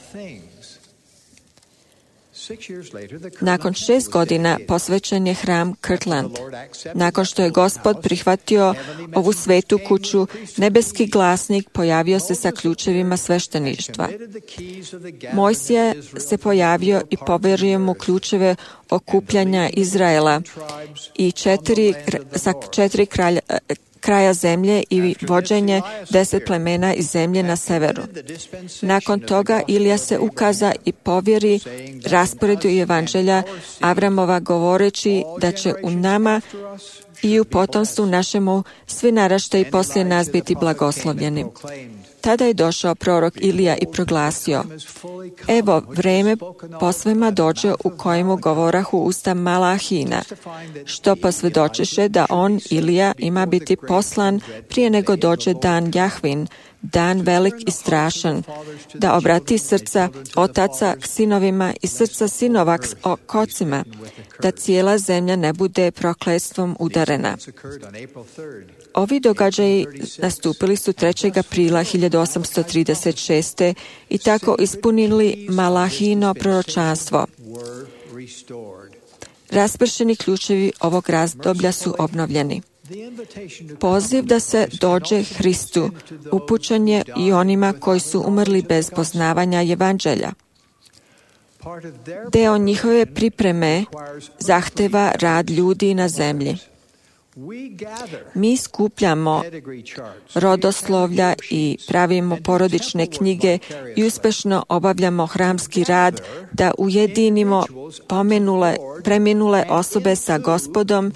Nakon 6 godina posvećen je hram Kirtland. Nakon što je Gospod prihvatio ovu svetu kuću, nebeski glasnik pojavio se sa ključevima svešteništva. Mojsije se pojavio i poverio mu ključeve okupljanja Izraela i sa 4 kraja zemlje i vođenje 10 plemena iz zemlje na severu. Nakon toga Ilija se ukaza i povjeri rasporedu evanđelja Avramova, govoreći da će u nama i u potomstvu našemu svi naraštaji poslije nas biti blagoslovljeni. Tada je došao prorok Ilija i proglasio: evo, vreme posvema dođe u kojemu govorahu usta Malahina, što posvjedočiše da on, Ilija, ima biti poslan prije nego dođe dan Jahvin, dan velik i strašan, da obrati srca otaca k sinovima i srca sinova k ocima, da cijela zemlja ne bude prokletstvom udarena. Ovi događaji nastupili su 3. aprila 1836. i tako ispunili Malahino proročanstvo. Raspršeni ključevi ovog razdoblja su obnovljeni. Poziv da se dođe Hristu upućen je i onima koji su umrli bez poznavanja evanđelja. Deo njihove pripreme zahteva rad ljudi na zemlji. Mi skupljamo rodoslovlja i pravimo porodične knjige i uspješno obavljamo hramski rad da ujedinimo preminule osobe sa Gospodom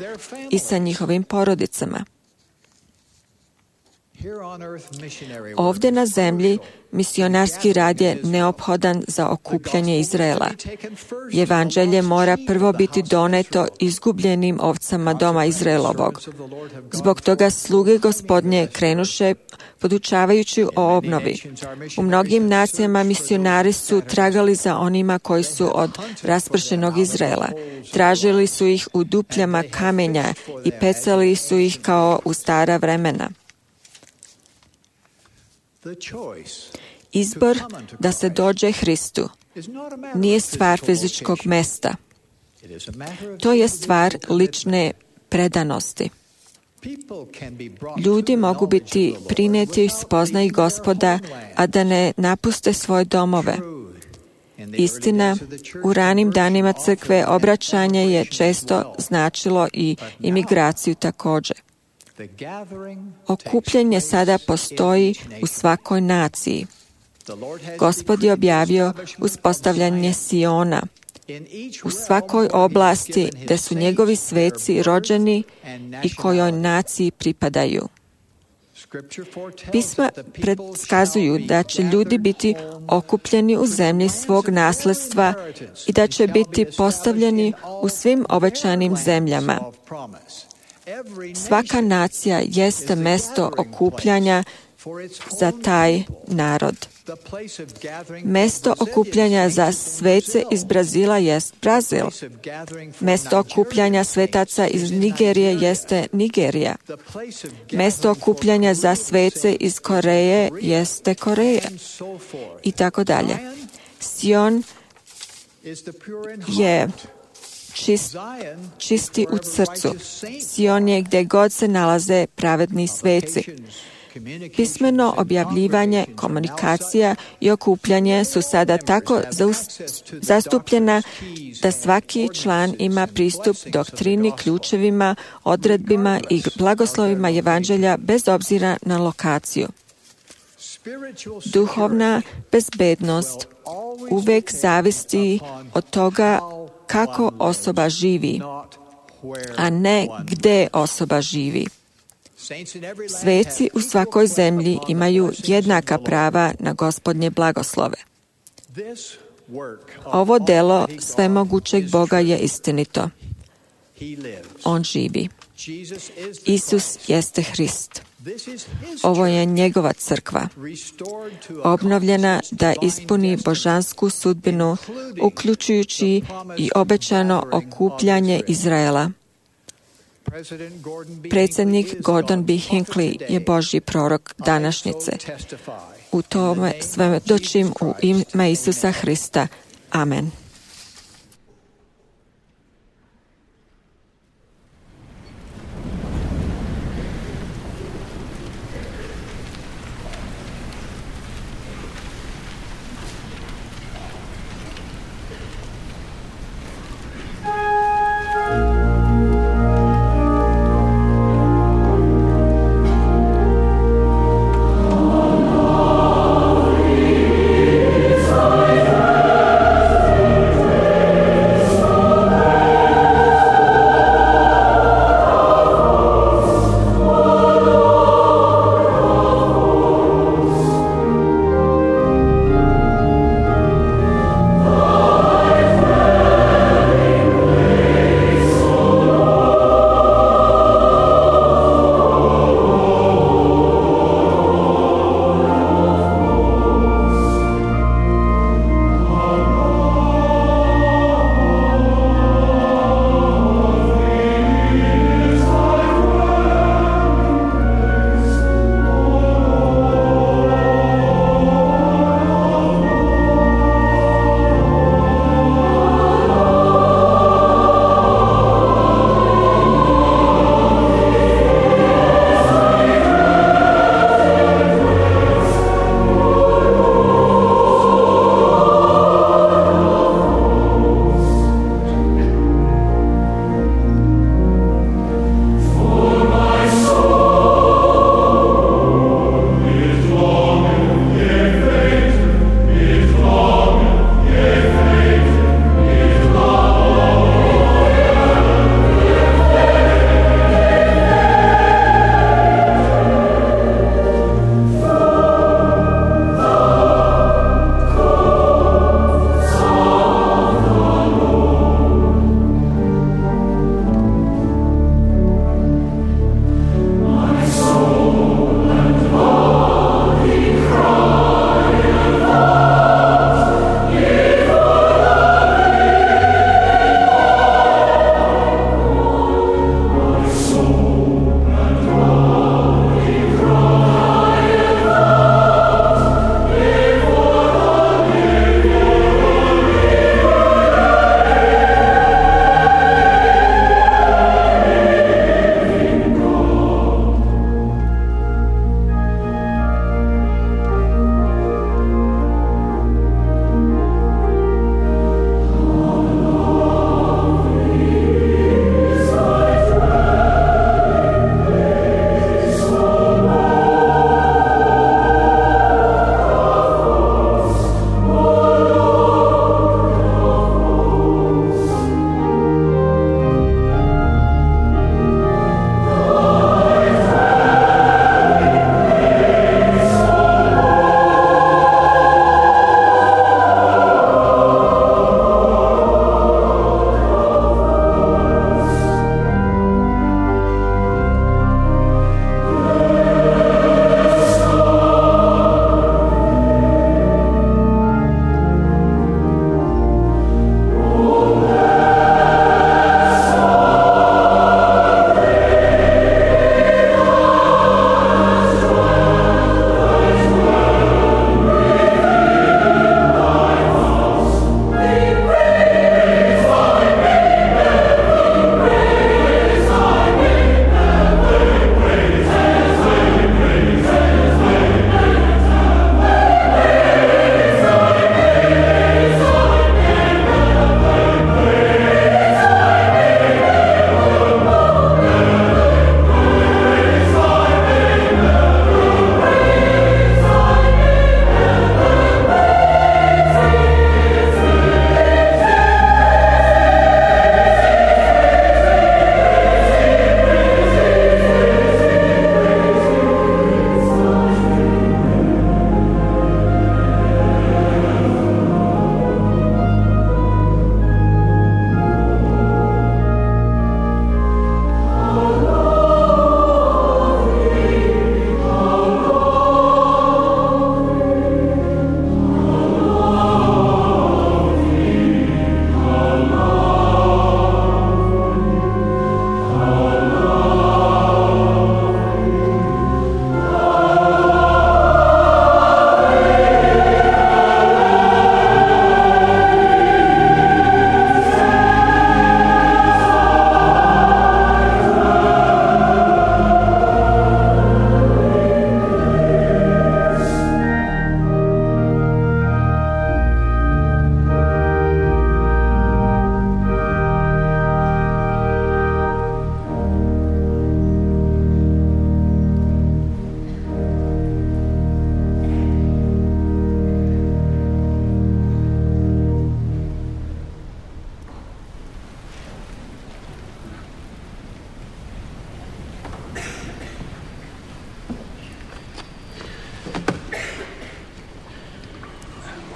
i sa njihovim porodicama. Ovdje na zemlji misionarski rad je neophodan za okupljanje Izraela. Evanđelje mora prvo biti doneto izgubljenim ovcama doma Izraelovog. Zbog toga sluge Gospodnje krenuše podučavajući o obnovi. U mnogim nacijama misionari su tragali za onima koji su od raspršenog Izraela. Tražili su ih u dupljama kamenja i pecali su ih kao u stara vremena. Izbor da se dođe Hristu nije stvar fizičkog mesta. To je stvar lične predanosti. Ljudi mogu biti prinijeti u spoznaju Gospoda, a da ne napuste svoje domove. Istina, u ranim danima crkve obraćanje je često značilo i imigraciju također. Okupljanje sada postoji u svakoj naciji. Gospod je objavio uspostavljanje Siona u svakoj oblasti gdje su njegovi sveci rođeni i kojoj naciji pripadaju. Pisma predskazuju da će ljudi biti okupljeni u zemlji svog nasljedstva i da će biti postavljeni u svim obećanim zemljama. Svaka nacija jeste mesto okupljanja za taj narod. Mesto okupljanja za svece iz Brazila jest Brazil. Mesto okupljanja svetaca iz Nigerije jeste Nigerija. Mesto okupljanja za svece iz Koreje jeste Koreja. I tako dalje. Sion je čisti u srcu. Sion je gdje god se nalaze pravedni sveci. Pismeno objavljivanje, komunikacija i okupljanje su sada tako zastupljena da svaki član ima pristup doktrini, ključevima, odredbima i blagoslovima evanđelja bez obzira na lokaciju. Duhovna bezbednost uvek zavisi od toga kako osoba živi, a ne gde osoba živi. Sveci u svakoj zemlji imaju jednaka prava na Gospodnje blagoslove. Ovo delo svemogućeg Boga je istinito. On živi. Isus jeste Hrist. Ovo je njegova crkva, obnovljena da ispuni božansku sudbinu, uključujući i obećano okupljanje Izraela. Predsjednik Gordon B. Hinckley je Božji prorok današnjice. U tome svedočim u ime Isusa Hrista. Amen.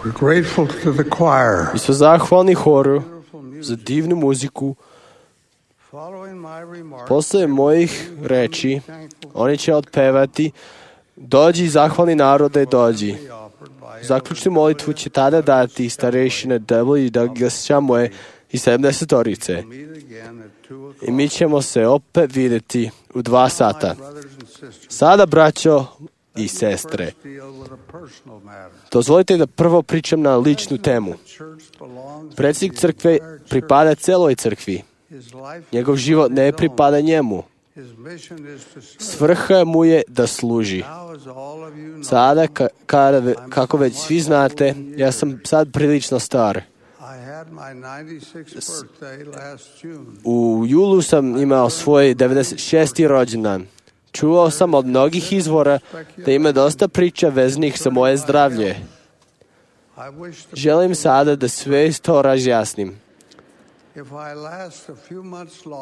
We're grateful to the choir. Mi smo zahvalni horu za divnu muziku. Posle mojih reči, oni će otpevati Dođi, zahvalni narode, dođi. Zaključnu molitvu će tada dati starešine W. Douglas Chamoe i 70-orice. I mi ćemo se opet vidjeti u 2 sata. Sada, braćo i sestre, dozvolite da prvo pričam na ličnu temu. Predsjednik crkve pripada celoj crkvi. Njegov život ne pripada njemu. Svrha mu je da služi. Sada, kako već svi znate, ja sam sad prilično star. U julu sam imao svoj 96. rođendan. Čuo sam od mnogih izvora da ima dosta priča veznih za moje zdravlje. Želim sada da sve to razjasnim.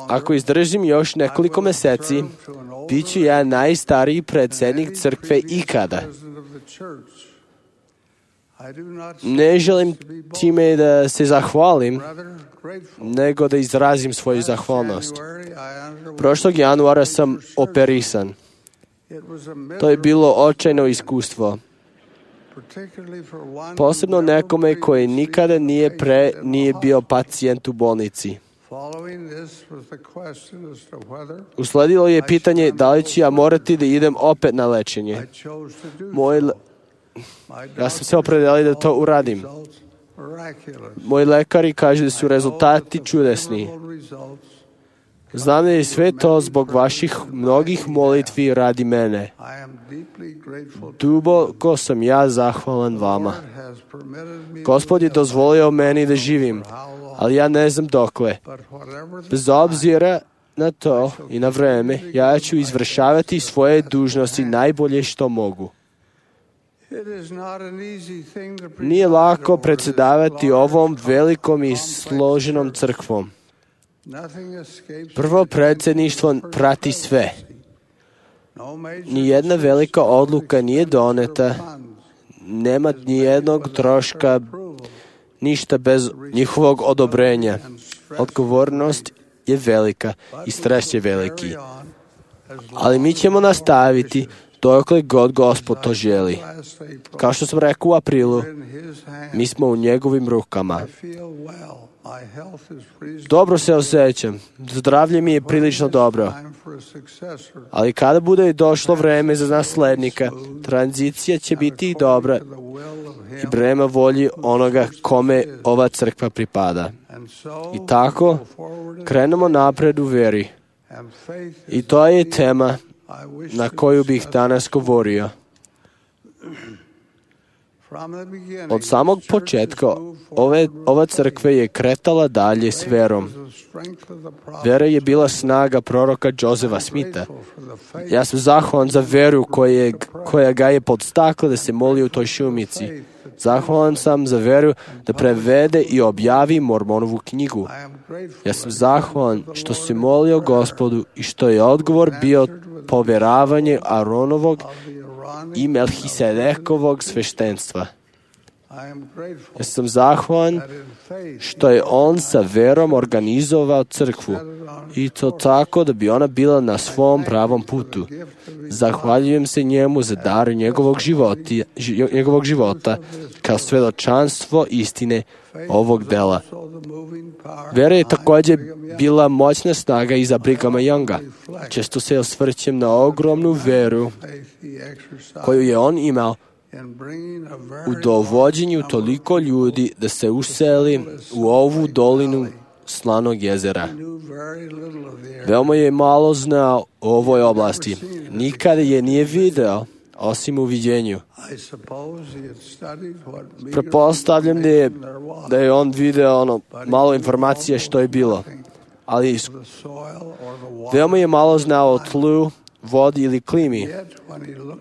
Ako izdržim još nekoliko meseci, bit ću ja najstariji predsjednik crkve ikada. Ne želim time da se zahvalim, nego da izrazim svoju zahvalnost. Prošlog januara sam operisan. To je bilo očajno iskustvo. Posebno nekome koji nikada nije bio pacijent u bolnici. Usledilo je pitanje da li ću ja morati da idem opet na lečenje. Ja sam se opredelio da to uradim. Moji lekari kažu da su rezultati čudesni. Znam da je sve to zbog vaših mnogih molitvi radi mene. Duboko sam ja zahvalan vama. Gospod je dozvolio meni da živim, ali ja ne znam dokle. Bez obzira na to i na vreme, ja ću izvršavati svoje dužnosti najbolje što mogu. Nije lako predsjedavati ovom velikom i složenom crkvom. Prvo predsjedništvo prati sve. Nijedna velika odluka nije doneta, nema nijednog troška, ništa bez njihovog odobrenja. Odgovornost je velika i stres je veliki. Ali mi ćemo nastaviti dokle god Gospod to želi. Kao što sam rekao u aprilu, mi smo u njegovim rukama. Dobro se osjećam. Zdravlje mi je prilično dobro. Ali kada bude došlo vreme za naslednika, tranzicija će biti dobra i prema volji onoga kome ova crkva pripada. I tako krenemo napred u vjeri. I to je tema na koju bih danas govorio. Od samog početka ova crkva je kretala dalje s verom. Vera je bila snaga proroka Josefa Smitha. Ja sam zahvalan za veru koja ga je podstakla da se moli u toj šumici. Zahvalan sam za veru da prevede i objavi Mormonovu knjigu. Ja sam zahvalan što se molio Gospodu i što je odgovor bio povjeravanje Aronovog i Melhisedekovog sveštenstva. Ja sam zahvalan što je on sa verom organizovao crkvu i to tako da bi ona bila na svom pravom putu. Zahvaljujem se njemu za dar njegovog života kao svedočanstvo istine ovog dela. Vera je također bila moćna snaga iza Brighama Younga. Često se osvrćem na ogromnu veru koju je on imao u dovođenju toliko ljudi da se useli u ovu dolinu Slanog jezera. Veoma je malo znao o ovoj oblasti. Nikada je nije video, osim u viđenju. Pretpostavljam da je on video malo informacije što je bilo. Ali veoma je malo znao o tlu, vodi ili klimi.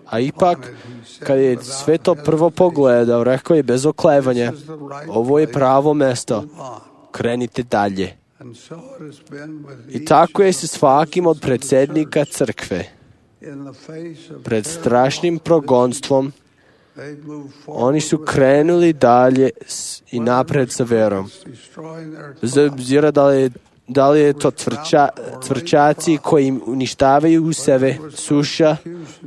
A ipak, kad je sve to prvo pogledao, rekao je bez oklevanja, ovo je pravo mesto, krenite dalje. I tako je se svakim od predsjednika crkve. Pred strašnim progonstvom Oni su krenuli dalje i napred sa verom. Bez obzira da li je to cvrčaci koji im uništavaju u sebe, suša,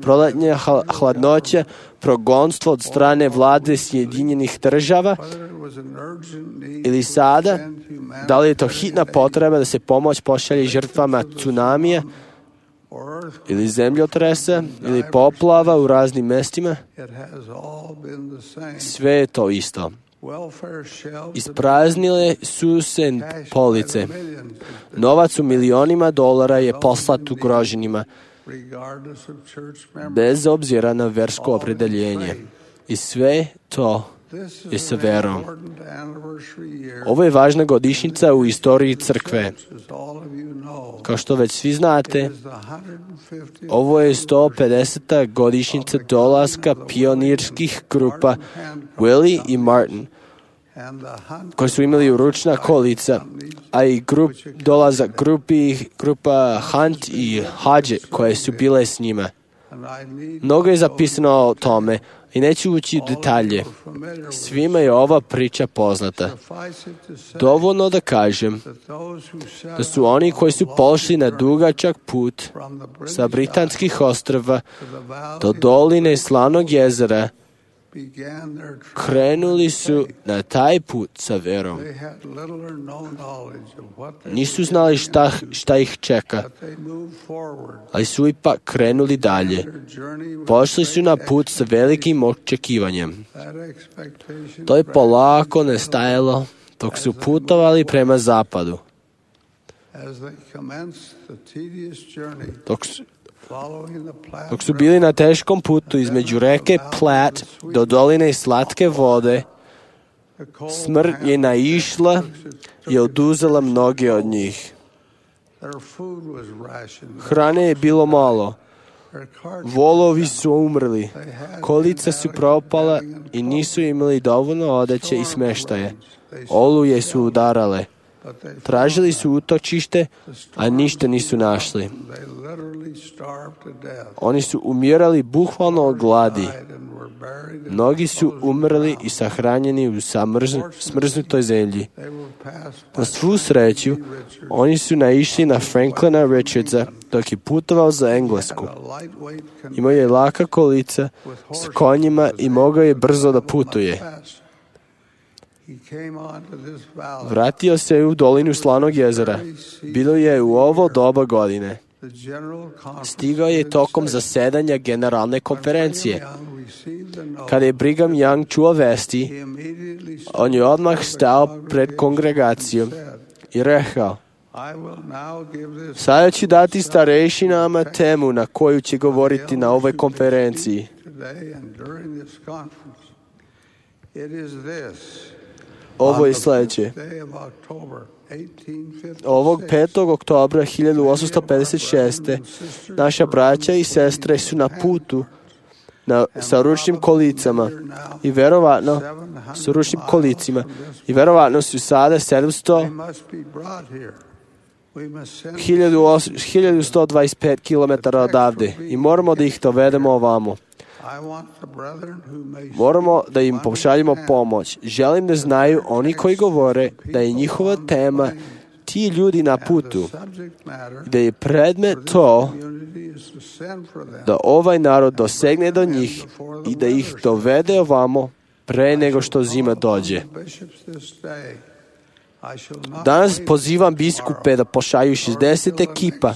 proletnja hladnoća, progonstvo od strane vlade Sjedinjenih država, ili sada, da li je to hitna potreba da se pomoć pošalje žrtvama tsunamija, ili zemljotresa, ili poplava u raznim mestima, sve je to isto. Ispraznile su se police. Novac u milionima dolara je poslat ugroženima, bez obzira na versko opredeljenje. I sve to je sa verom. Ovo je važna godišnjica u istoriji crkve. Kao što već svi znate, ovo je 150. godišnjica dolaska pionirskih grupa Willie i Martin, koji su imali ručna kolica, a i dolazak grupa Hunt i Hodge koje su bile s njima. Mnogo je zapisano o tome i neću ući u detalje. Svima je ova priča poznata. Dovoljno da kažem da su oni koji su pošli na dugačak put sa Britanskih ostrva do doline Slanog jezera, krenuli su na taj put sa verom. Nisu znali šta ih čeka, ali su ipak krenuli dalje. Pošli su na put sa velikim očekivanjem. To je polako nestajalo dok su putovali prema zapadu. Dok su bili na teškom putu između reke Platte do doline Slatke vode, smrt je naišla i oduzela mnoge od njih. Hrane je bilo malo. Volovi su umrli, kolica su propala i nisu imali dovoljno odeće i smeštaje. Oluje su udarale. Tražili su utočište, a ništa nisu našli. Oni su umirali bukvalno od gladi. Mnogi su umrli i sahranjeni u smrznutoj zemlji. Na svu sreću, oni su naišli na Franklina Richardsa dok je putovao za Englesku. Imao je laka kolica s konjima i mogao je brzo da putuje. Vratio se u dolinu Slanog jezera. Bilo je u ovo doba godine. Stigao je tokom zasedanja generalne konferencije. Kada je Brigham Young čuo vesti, on je odmah stao pred kongregacijom i rekao: sada ću dati starešinama temu na koju će govoriti na ovoj konferenciji. Ovo je sljedeće. Ovog 5. oktobra 1856. naša braća i sestre su na putu sa ručnim kolicama i verovatno su sada 1125 km odavde i moramo da ih dovedemo ovamo. Moramo da im pošaljemo pomoć. Želim da znaju oni koji govore da je njihova tema ti ljudi na putu, da je predmet to da ovaj narod dosegne do njih i da ih dovede ovamo pre nego što zima dođe. Danas pozivam biskupe da pošalju 60 ekipa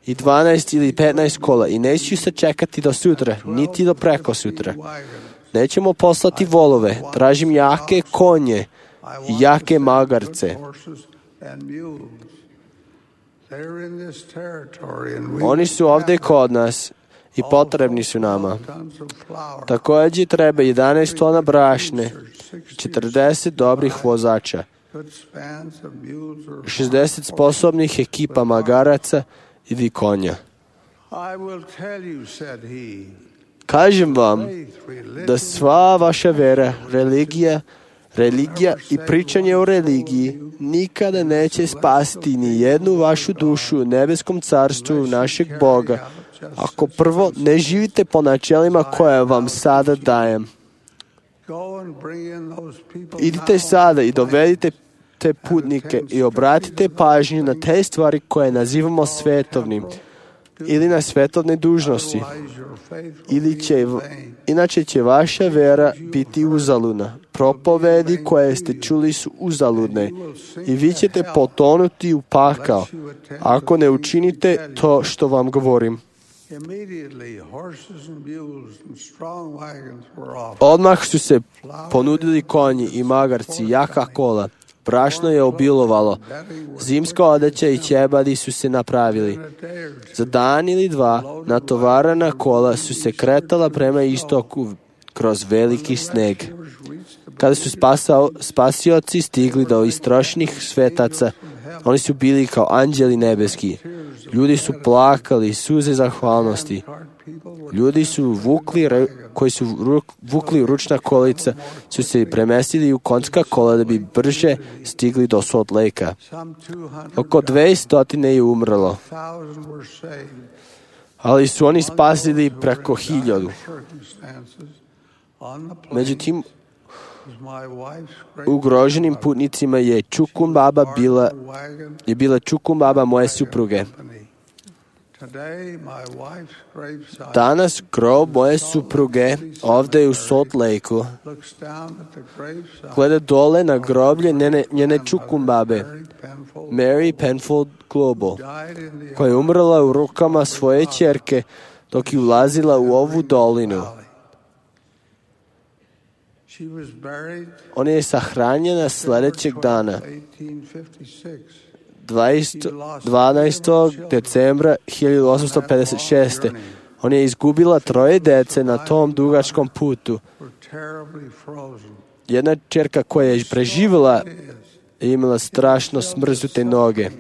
i 12 ili 15 kola i neću se čekati do sutra, niti do preko sutra. Nećemo poslati volove, tražim jake konje i jake magarce. Oni su ovdje kod nas i potrebni su nama. Također treba 11 tona brašne, 40 dobrih vozača, 60 sposobnih ekipa magaraca ili konja. Kažem vam da sva vaša vera, religija i pričanje o religiji nikada neće spasiti ni jednu vašu dušu u nebeskom carstvu našeg Boga ako prvo ne živite po načelima koje vam sada dajem. Idite sada i dovedite te putnike i obratite pažnju na te stvari koje nazivamo svetovnim ili na svetovne dužnosti. Inače će vaša vera biti uzaludna. Propovedi koje ste čuli su uzaludne i vi ćete potonuti u pakao ako ne učinite to što vam govorim. Odmah su se ponudili konji i magarci, jaka kola. Brašno je obilovalo. Zimska odeća i ćebadi su se napravili. Za dan ili dva natovarana kola su se kretala prema istoku kroz veliki sneg. Kada su spasioci stigli do istrošenih svetaca, oni su bili kao anđeli nebeski. Ljudi su plakali, suze zahvalnosti. Ljudi koji su vukli ručna kolica su se premestili u konjska kola da bi brže stigli do Salt Lakea. Oko 200 je umrlo, ali su oni spasili preko 1000. Međutim, ugroženim putnicima je bila čukum baba moje supruge. Danas grob moje supruge ovdje u Salt Lakeu gleda dole na groblje njene čukum babe, Mary Penfold Global, koja je umrla u rukama svoje ćerke dok je ulazila u ovu dolinu. Ona je sahranjena sljedećeg dana, 12. decembra 1856. Ona je izgubila 3 dece na tom dugačkom putu. Jedna ćerka koja je preživjela je imala strašno smrznute noge.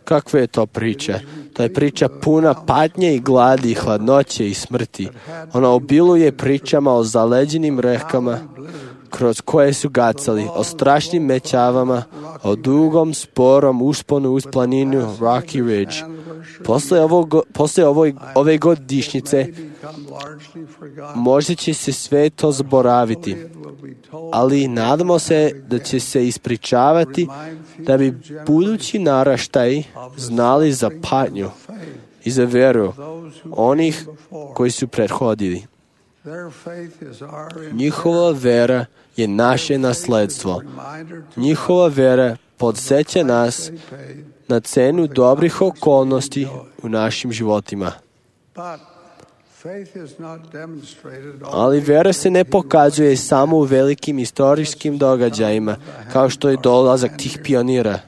Kakva je to priča? To je priča puna patnje i gladi, hladnoće i smrti. Ona obiluje pričama o zaleđenim rekama kroz koje su gacali, o strašnim mećavama, o dugom, sporom usponu uz planinu Rocky Ridge. Posle ove godišnjice možda će se sve to zaboraviti, ali nadamo se da će se ispričavati da bi budući naraštaji znali za patnju i za veru onih koji su prethodili. Njihova vera je naše nasledstvo. Njihova vera podsjeća nas na cenu dobrih okolnosti u našim životima. Ali vera se ne pokazuje samo u velikim istorijskim događajima, kao što je dolazak tih pionira.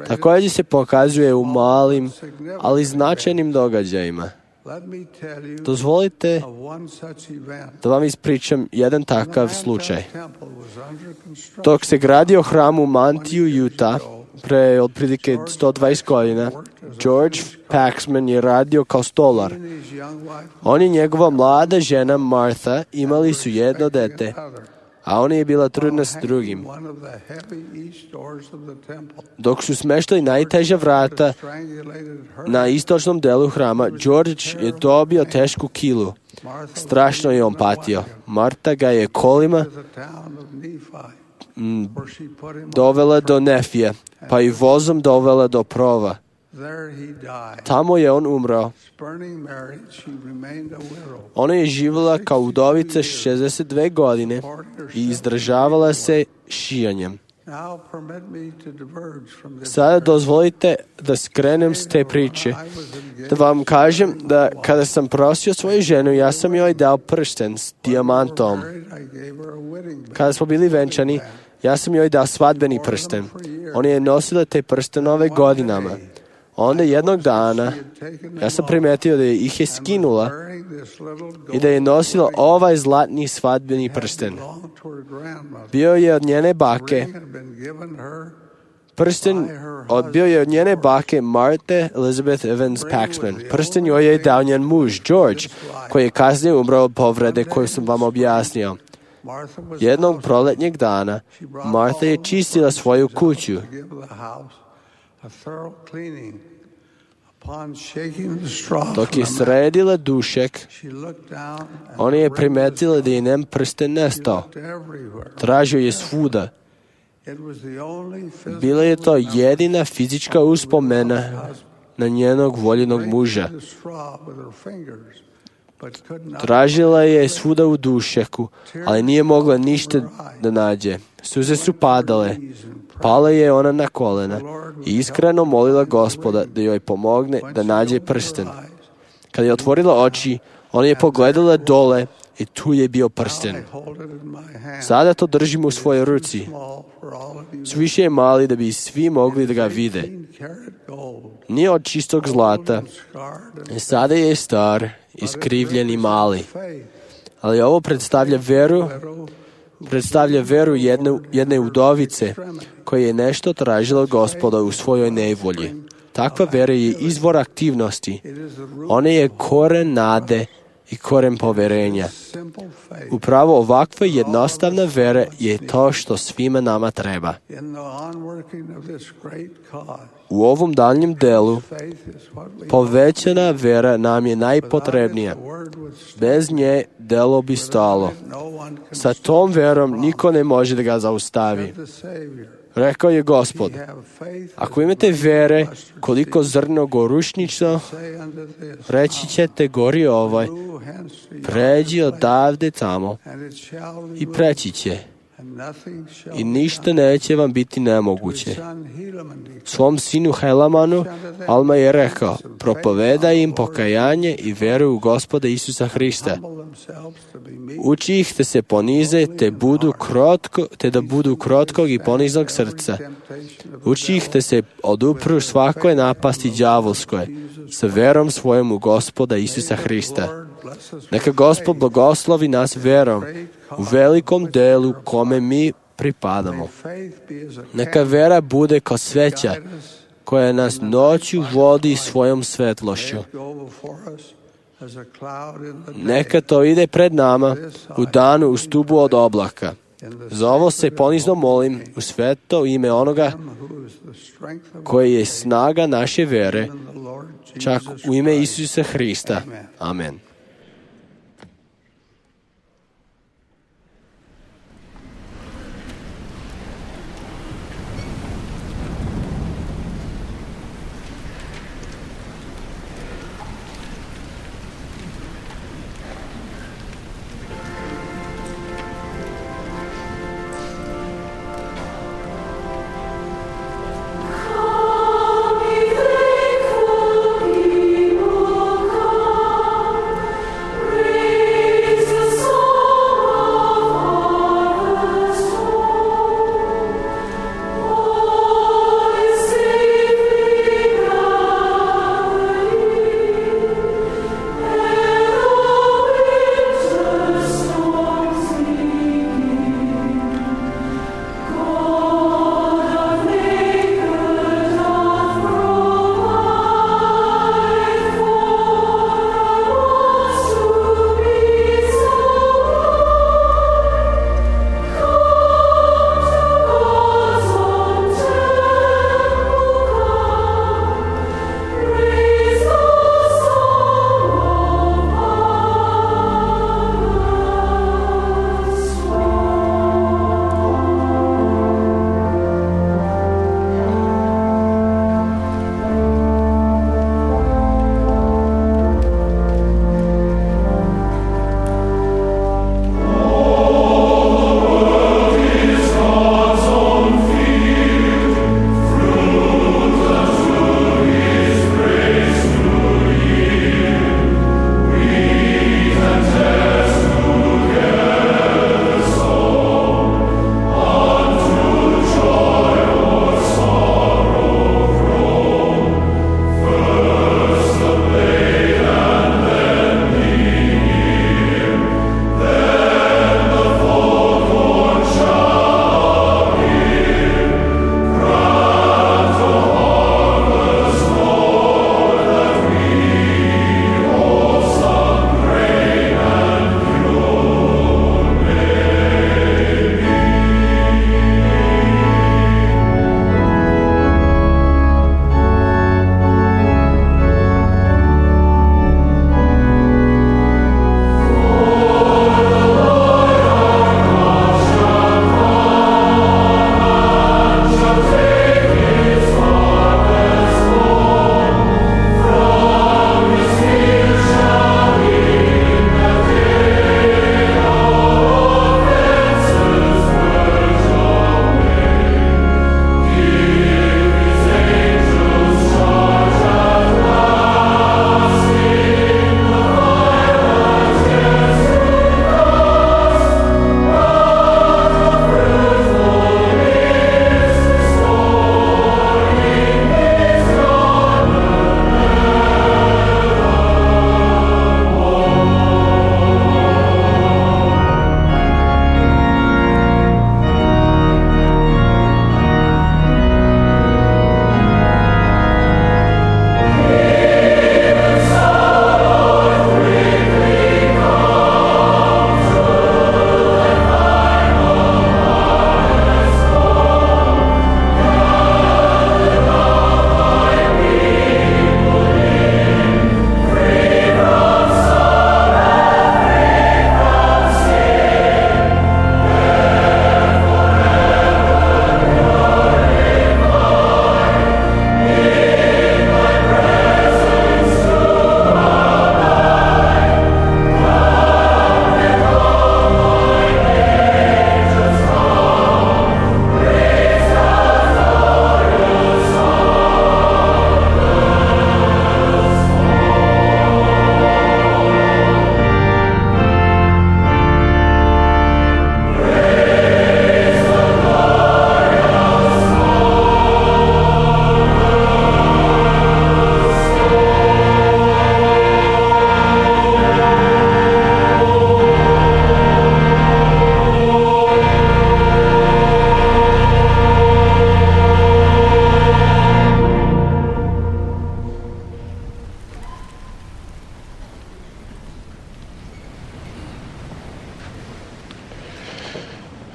Također se pokazuje u malim, ali značajnim događajima. Dozvolite da vam ispričam jedan takav slučaj. Dok se gradio hram u Mantiju, Utah, pre otprilike 120 godina, George Paxman je radio kao stolar. On i njegova mlada žena Martha imali su jedno dete, a ona je bila trudna s drugim. Dok su smeštali najteža vrata na istočnom delu hrama, George je dobio tešku kilu. Strašno je on patio. Marta ga je kolima dovela do Nefija, pa i vozom dovela do Prova. Tamo je on umro. Ona je živjela kao udovica 62 godine i izdržavala se šijanjem. Sada dozvolite da skrenem s te priče, da vam kažem da kada sam prosio svoju ženu, ja sam joj dao prsten s dijamantom. Kada smo bili venčani, ja sam joj dao svadbeni prsten. Ona je nosila te prstenove godinama. Onda jednog dana ja sam primetio da ih je skinula i da je nosila ovaj zlatni svadbeni prsten. Bio je od njene bake. Prsten bio je od njene bake Martha Elizabeth Evans Paxman. Prsten joj je dao njen muž George, koji je kasnije umro od povrede koju sam vam objasnio. Jednog proletnjeg dana Martha je čistila svoju kuću. Dok je sredila dušek, ona je primetila da je njen prsten nestao. Tražio je svuda. Bila je to jedina fizička uspomena na njenog voljenog muža. Tražila je svuda u dušeku, ali nije mogla ništa da nađe. Suze su padale. Pala je ona na kolena i iskreno molila Gospoda da joj pomogne da nađe prsten. Kada je otvorila oči, ona je pogledala dole i tu je bio prsten. Sada to držim u svojoj ruci. Suviše je mali da bi svi mogli da ga vide. Nije od čistog zlata. Sada je star, iskrivljen i mali. Ali ovo predstavlja veru jedne udovice koja je nešto tražila Gospoda u svojoj nevolji. Takva vera je izvor aktivnosti. Ona je koren nade i koren poverenja. Upravo ovakva jednostavna vera je to što svima nama treba. U ovom daljnjem delu povećana vera nam je najpotrebnija. Bez nje delo bi stalo. Sa tom verom niko ne može da ga zaustavi. Rekao je Gospod, ako imate vere koliko zrno gorušnično, reći ćete gori ovaj, pređi odavde tamo i preći će. I ništa neće vam biti nemoguće. Svom sinu Helamanu Alma je rekao, propovedaj im pokajanje i veru u Gospoda Isusa Hrista. Uči ih da se ponize te da budu krotkog i poniznog srca. Uči ih da se odupru svakoj napasti đavolskoj sa verom svojom u Gospoda Isusa Hrista. Neka Gospod blagoslovi nas verom u velikom delu kome mi pripadamo. Neka vera bude kao sveća koja nas noću vodi svojom svetlošću. Neka to ide pred nama u danu u stubu od oblaka. Za ovo se ponizno molim u sveto ime onoga koji je snaga naše vere, čak u ime Isusa Hrista. Amen.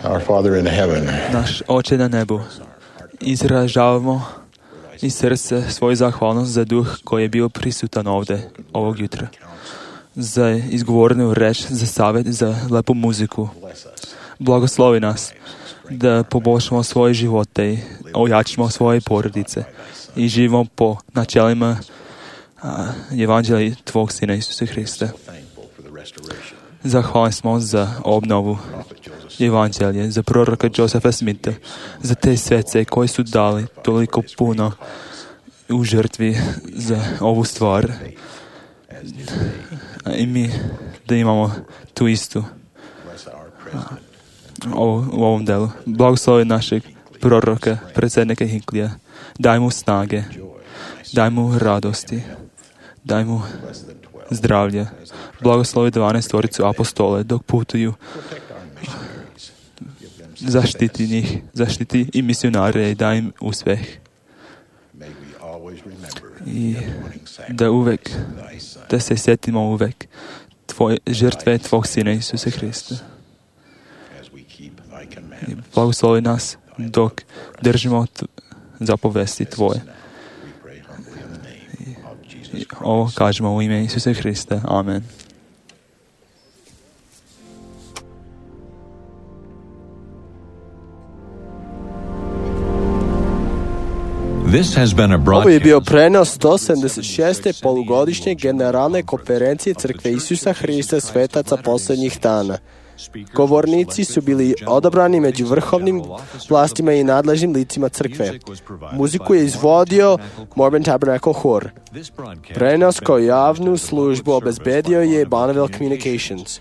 Our Father in heaven, Naš Oče na nebu, izražavamo iz srca svoju zahvalnost za duh koji je bio prisutan ovde ovog jutra, za izgovorenu reč, za savjet, za lepu muziku. Blagoslovi nas da poboljšamo svoje živote i ojačamo svoje porodice i živimo po načelima evanđelja Tvog Sina Isusa Hrista. Zahvalni smo za obnovu evanđelje, za proroka Josefa Smitha, za te svece koji su dali toliko puno u žrtvi za ovu stvar. I mi da imamo tu istu u ovom delu. Blagoslovi našeg proroka, predsjednika Hinklija. Daj mu snage, daj mu radosti, daj mu zdravlje. Blagoslovi 12 apostole dok putuju. Zaštiti njih, zaštiti i misionare i daj im uspeh. I da se sjetimo uvek žrtve Tvog Sina Isusa Hrista. I blagoslovi nas dok držimo zapovesti Tvoje. I ovo kažemo u ime Isusa Hrista. Amen. Ovo je bio prenos 176. polugodišnje generalne konferencije Crkve Isusa Hrista svetaca posljednjih dana. Govornici su bili odabrani među vrhovnim vlastima i nadležnim licima crkve. Muziku je izvodio Mormon Tabernacle Hor. Prenos kao javnu službu obezbedio je Bonneville Communications.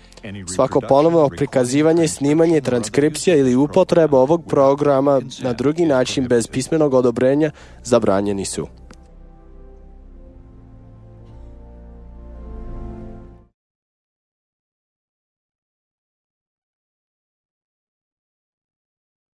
Svako ponovno prikazivanje, snimanje, transkripcija ili upotreba ovog programa na drugi način bez pismenog odobrenja zabranjeni su.